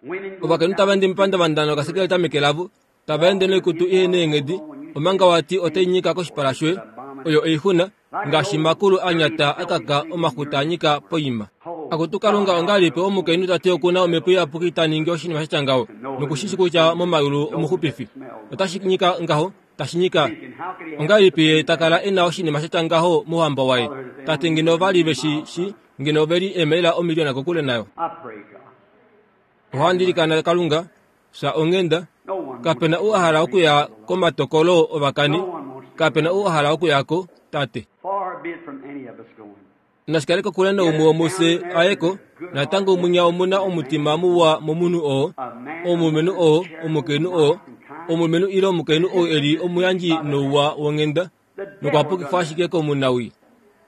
Ovakainhu tava ende mepandavanda nokasekeleta meke lavo, tava ende noikutu ihe neenghedi, omanga wati otai nyika koshipala shoye. Oyo oixuna, ngaashi makulu a nyata a kaka omaxuta a nyika poima. Akutu Kalunga, ongahelipi omukainhu ta ti okuna omhepo iyapuki ta ningi oshinima sha tya ngaho, nokushishi kutya momayulu omuxupifi otashi nyika ngaho, tashi nyika? Ongahelipi ye ta kala e na oshinima sha tya ngaho mouhamba waye? Tate ngeno ova li ve shi shi, ngeno ove li eemaila omiliona kokule nayo. Ohandi ilikana Kalunga, fya onghenda. Kape na ou a hala okuya komatokolo ovakani. Kape na ou a hala okuya ko, Tate. Nashi kale kokule naumwe womufye aye ko. Natango munya omu na omutima muwa momunhu oo, omulumenhu oo, omukainhu oo, omulumenhu ile omukainhu ou e li omuyandji nouwa wonghenda, nokwa pukifwa ashike komunawii.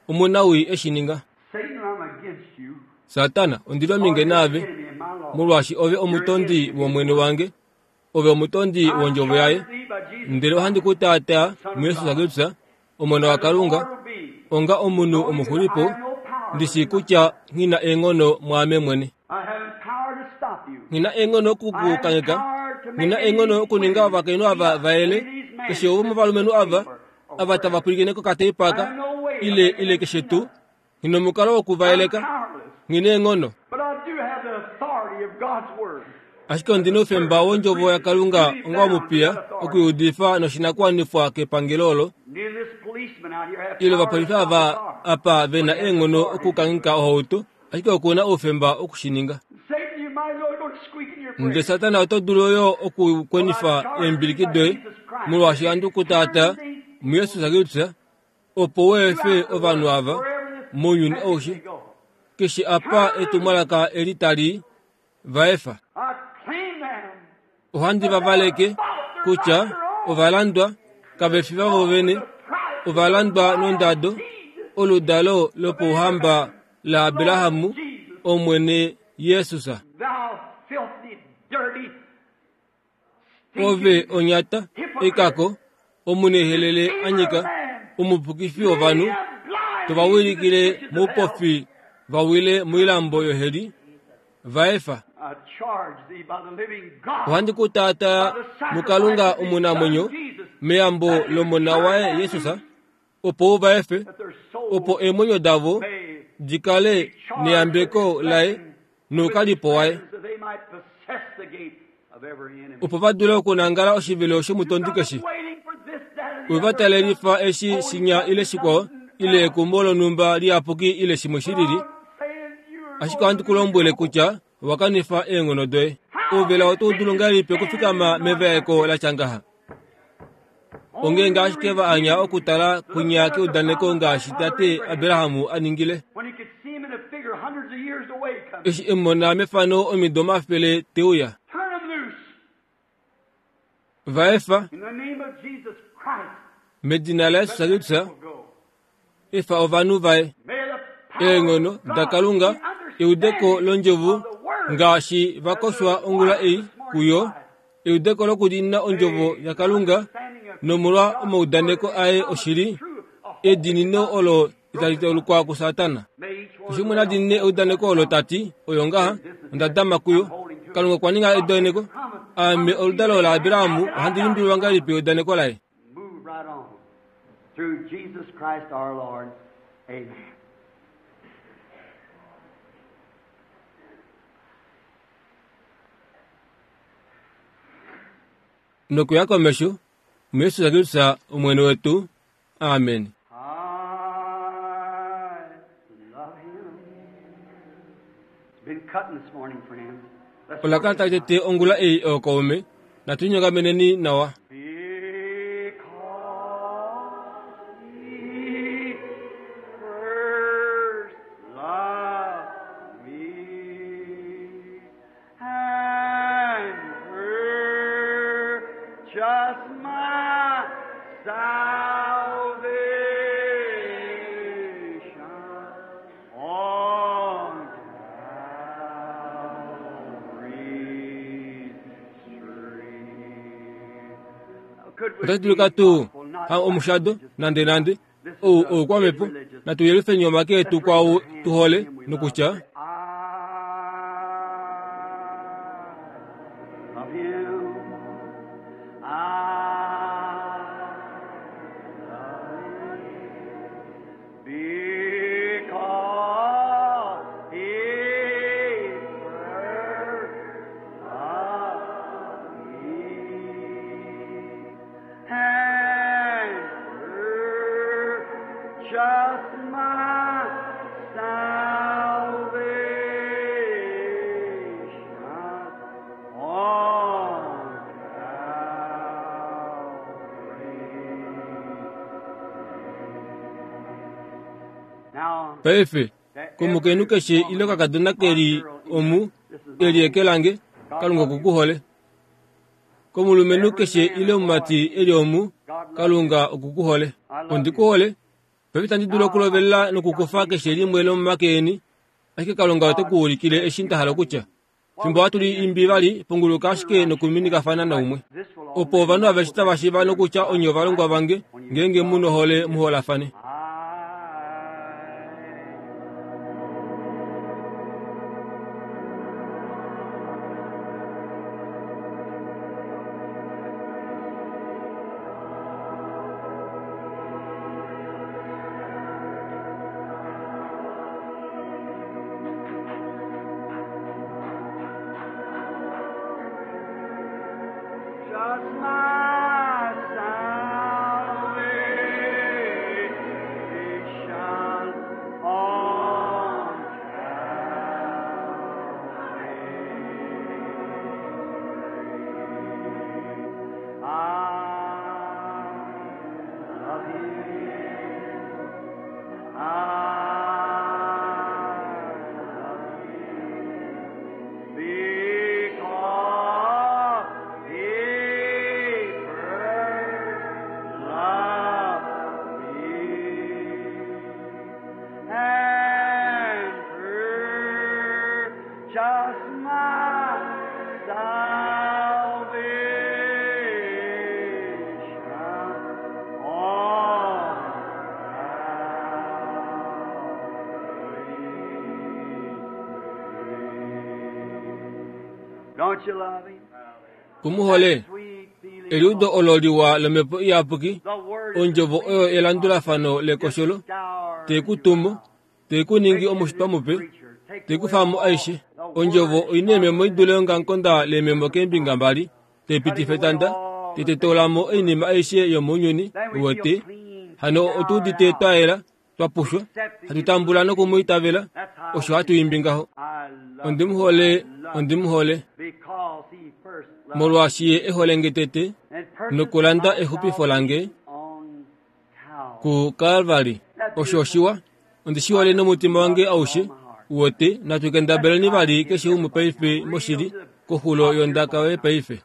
Omunawii e shi ninga. Satana, ondi li ominge naave, molwaashi ove omutondi wOmwene wange, ove omutondi wondjovo yaye. Ndele ohandi ku taataa muJesus Kristus, Omona waKalunga, onga omunhu omuxulipo, ndi shii kutya nghi na eenghono mwaame mwene. Nghi na eenghono oku ku kangheka, nghi na eenghono okuninga ovakainhu ava va yele, keshe womovalumenhu ava, ava tava pwilikine kokateipa aka, ile, ile keshe tuu. Nghi nomukalo woku va yeleka. Nghi neenghono. Ashike ondi noufemba wondjovo yaKalunga onga omupiya okuiudifa noshinakuwanifwa kepangelo olo, ile ovapolifi ava apa ve na eenghono okukangheka ohauto, ashike oku na oufemba okushininga. Ndele Satana oto dulu yo okukwenifa eembiliki doye, molwaashi ohandi ku taataa muJesus Kristus, opo u efe ovanhu ava mounyuni aushe, keshe apa etumwalaka eli tali va efa. Ohandi va valeke kutya ovalandwa kave fi vavo vene, ovalandwa nondado, oludalo lopouhamba laAbraham, Omwene Jesus. Ove onyata, ekako, omunehelele a nyika, omupukifi wovanhu, to va wilikile moupofi va wile moilambo yoheli, va efa. Ohandi ku taataa muKalunga omunamwenyo meyambo lOmona waye Jesus, opo u va efe, opo eemwenyo davo di kale neyambeko laye noukalipo waye, opo va dule okunangala oshivelo shomutondi keshe. Ove va talelifa eshi shinya ile shikwao, ile ekumbo lonhumba liyapuki ile shimwe shilili, ashike ohandi ku lombwele kutya owa kanifa eenghono doye. Ouvela oto dulu ngahelipi okufikama mevaeko la tya ngaha? Ongeenge ashike va anya okutala kwinya keudaneko ngaashi tate Abraham a ningile. Eshi e mona mefano omido omafele te uya. Va efa medina laJesus Kristus, efa ovanhu vaye. Eenghono daKalunga, eudeko londjovo ngaashi va koshwa ongula ei kuyo, eudeko lokudiinina ondjovo yaKalunga nomolwa omaudaneko aye oshili, ediinino olo itali taulukwa kuSatana. Keshe umwe na diinine eudaneko olo tati, oyo ngaha, onda dama kuyo. Kalunga okwa ninga eudaneko. Ame oludalo laAbraham ohandi limbililwa ngahelipi eudaneko laye. Through Jesus Christ our Lord. Amen. Nokuya komesho, muYesus Kristus Omwene wetu. Amen. I love him. It's been cutting this morning, friends. Let's Ola kala tali tete ongula ei ookaume, natu linyongameneni nawa. Because he first loved me and purchased my salvation on Calvary's tree. Could we Otati dulika tuu ha omushado nande nande ou oukwamhepo, natu yelifeni omake etu kwaau tuhole nokutya I love him. I love him because he first loved me and purchased my salvation on Calvary. Now, paife komukainhu keshe ile okakadona keli omu eli eke lange, Kalunga oku ku hole. Komulumenhu keshe ile omumati eli omu, Kalunga oku ku hole. Ondi ku hole. Paife itandi dulu okulovelela nokukufa keshe limwe lomomake eni, ashike Kalunga ote ku ulikile eshi nda hala okutya. Fimbo hatu li imbi vali, punguluka ashike nokuminikafana naumwe, opo ovanhu aveshe tava shiiva nokutya onye ovalongwa vange, ngeenge mu nohole muholafane. I Just my salvation on Calvary. I love Him. I love Him. Because He first loved me and purchased my salvation on Calvary. Don't you love him? Ku mu hole? Sweet feeling. Eliudo olo liwa lomhepo iyapuki, The word is ondjovo oyo elandulafano lekosholo, scour te ku tumo, te ku ningi omushitwa mupe, te ku famo aishe. Ondjovo oina eememo idule ongamukonda leememo keembinga mbali, te pitifa etanda, te tetola mo oinima aishe yomounyuni, uwete. Hano otu udite twa yela, twa pushwa, hatu tambula nokumwiitavela, osho hatu imbi ngaho. I love Ondi mu hole, ondi mu hole, because he first loved molwaashi ye e hole nge tete, and purchased nokulanda my exupifo lange on Calvary. ku Kalvari. Osho oshiwa, ondi shi hole nomutima wange aushe. Uwete, natu kendabeleni vali keshe umwe paife moshili, koxulo yondaka yoye paife.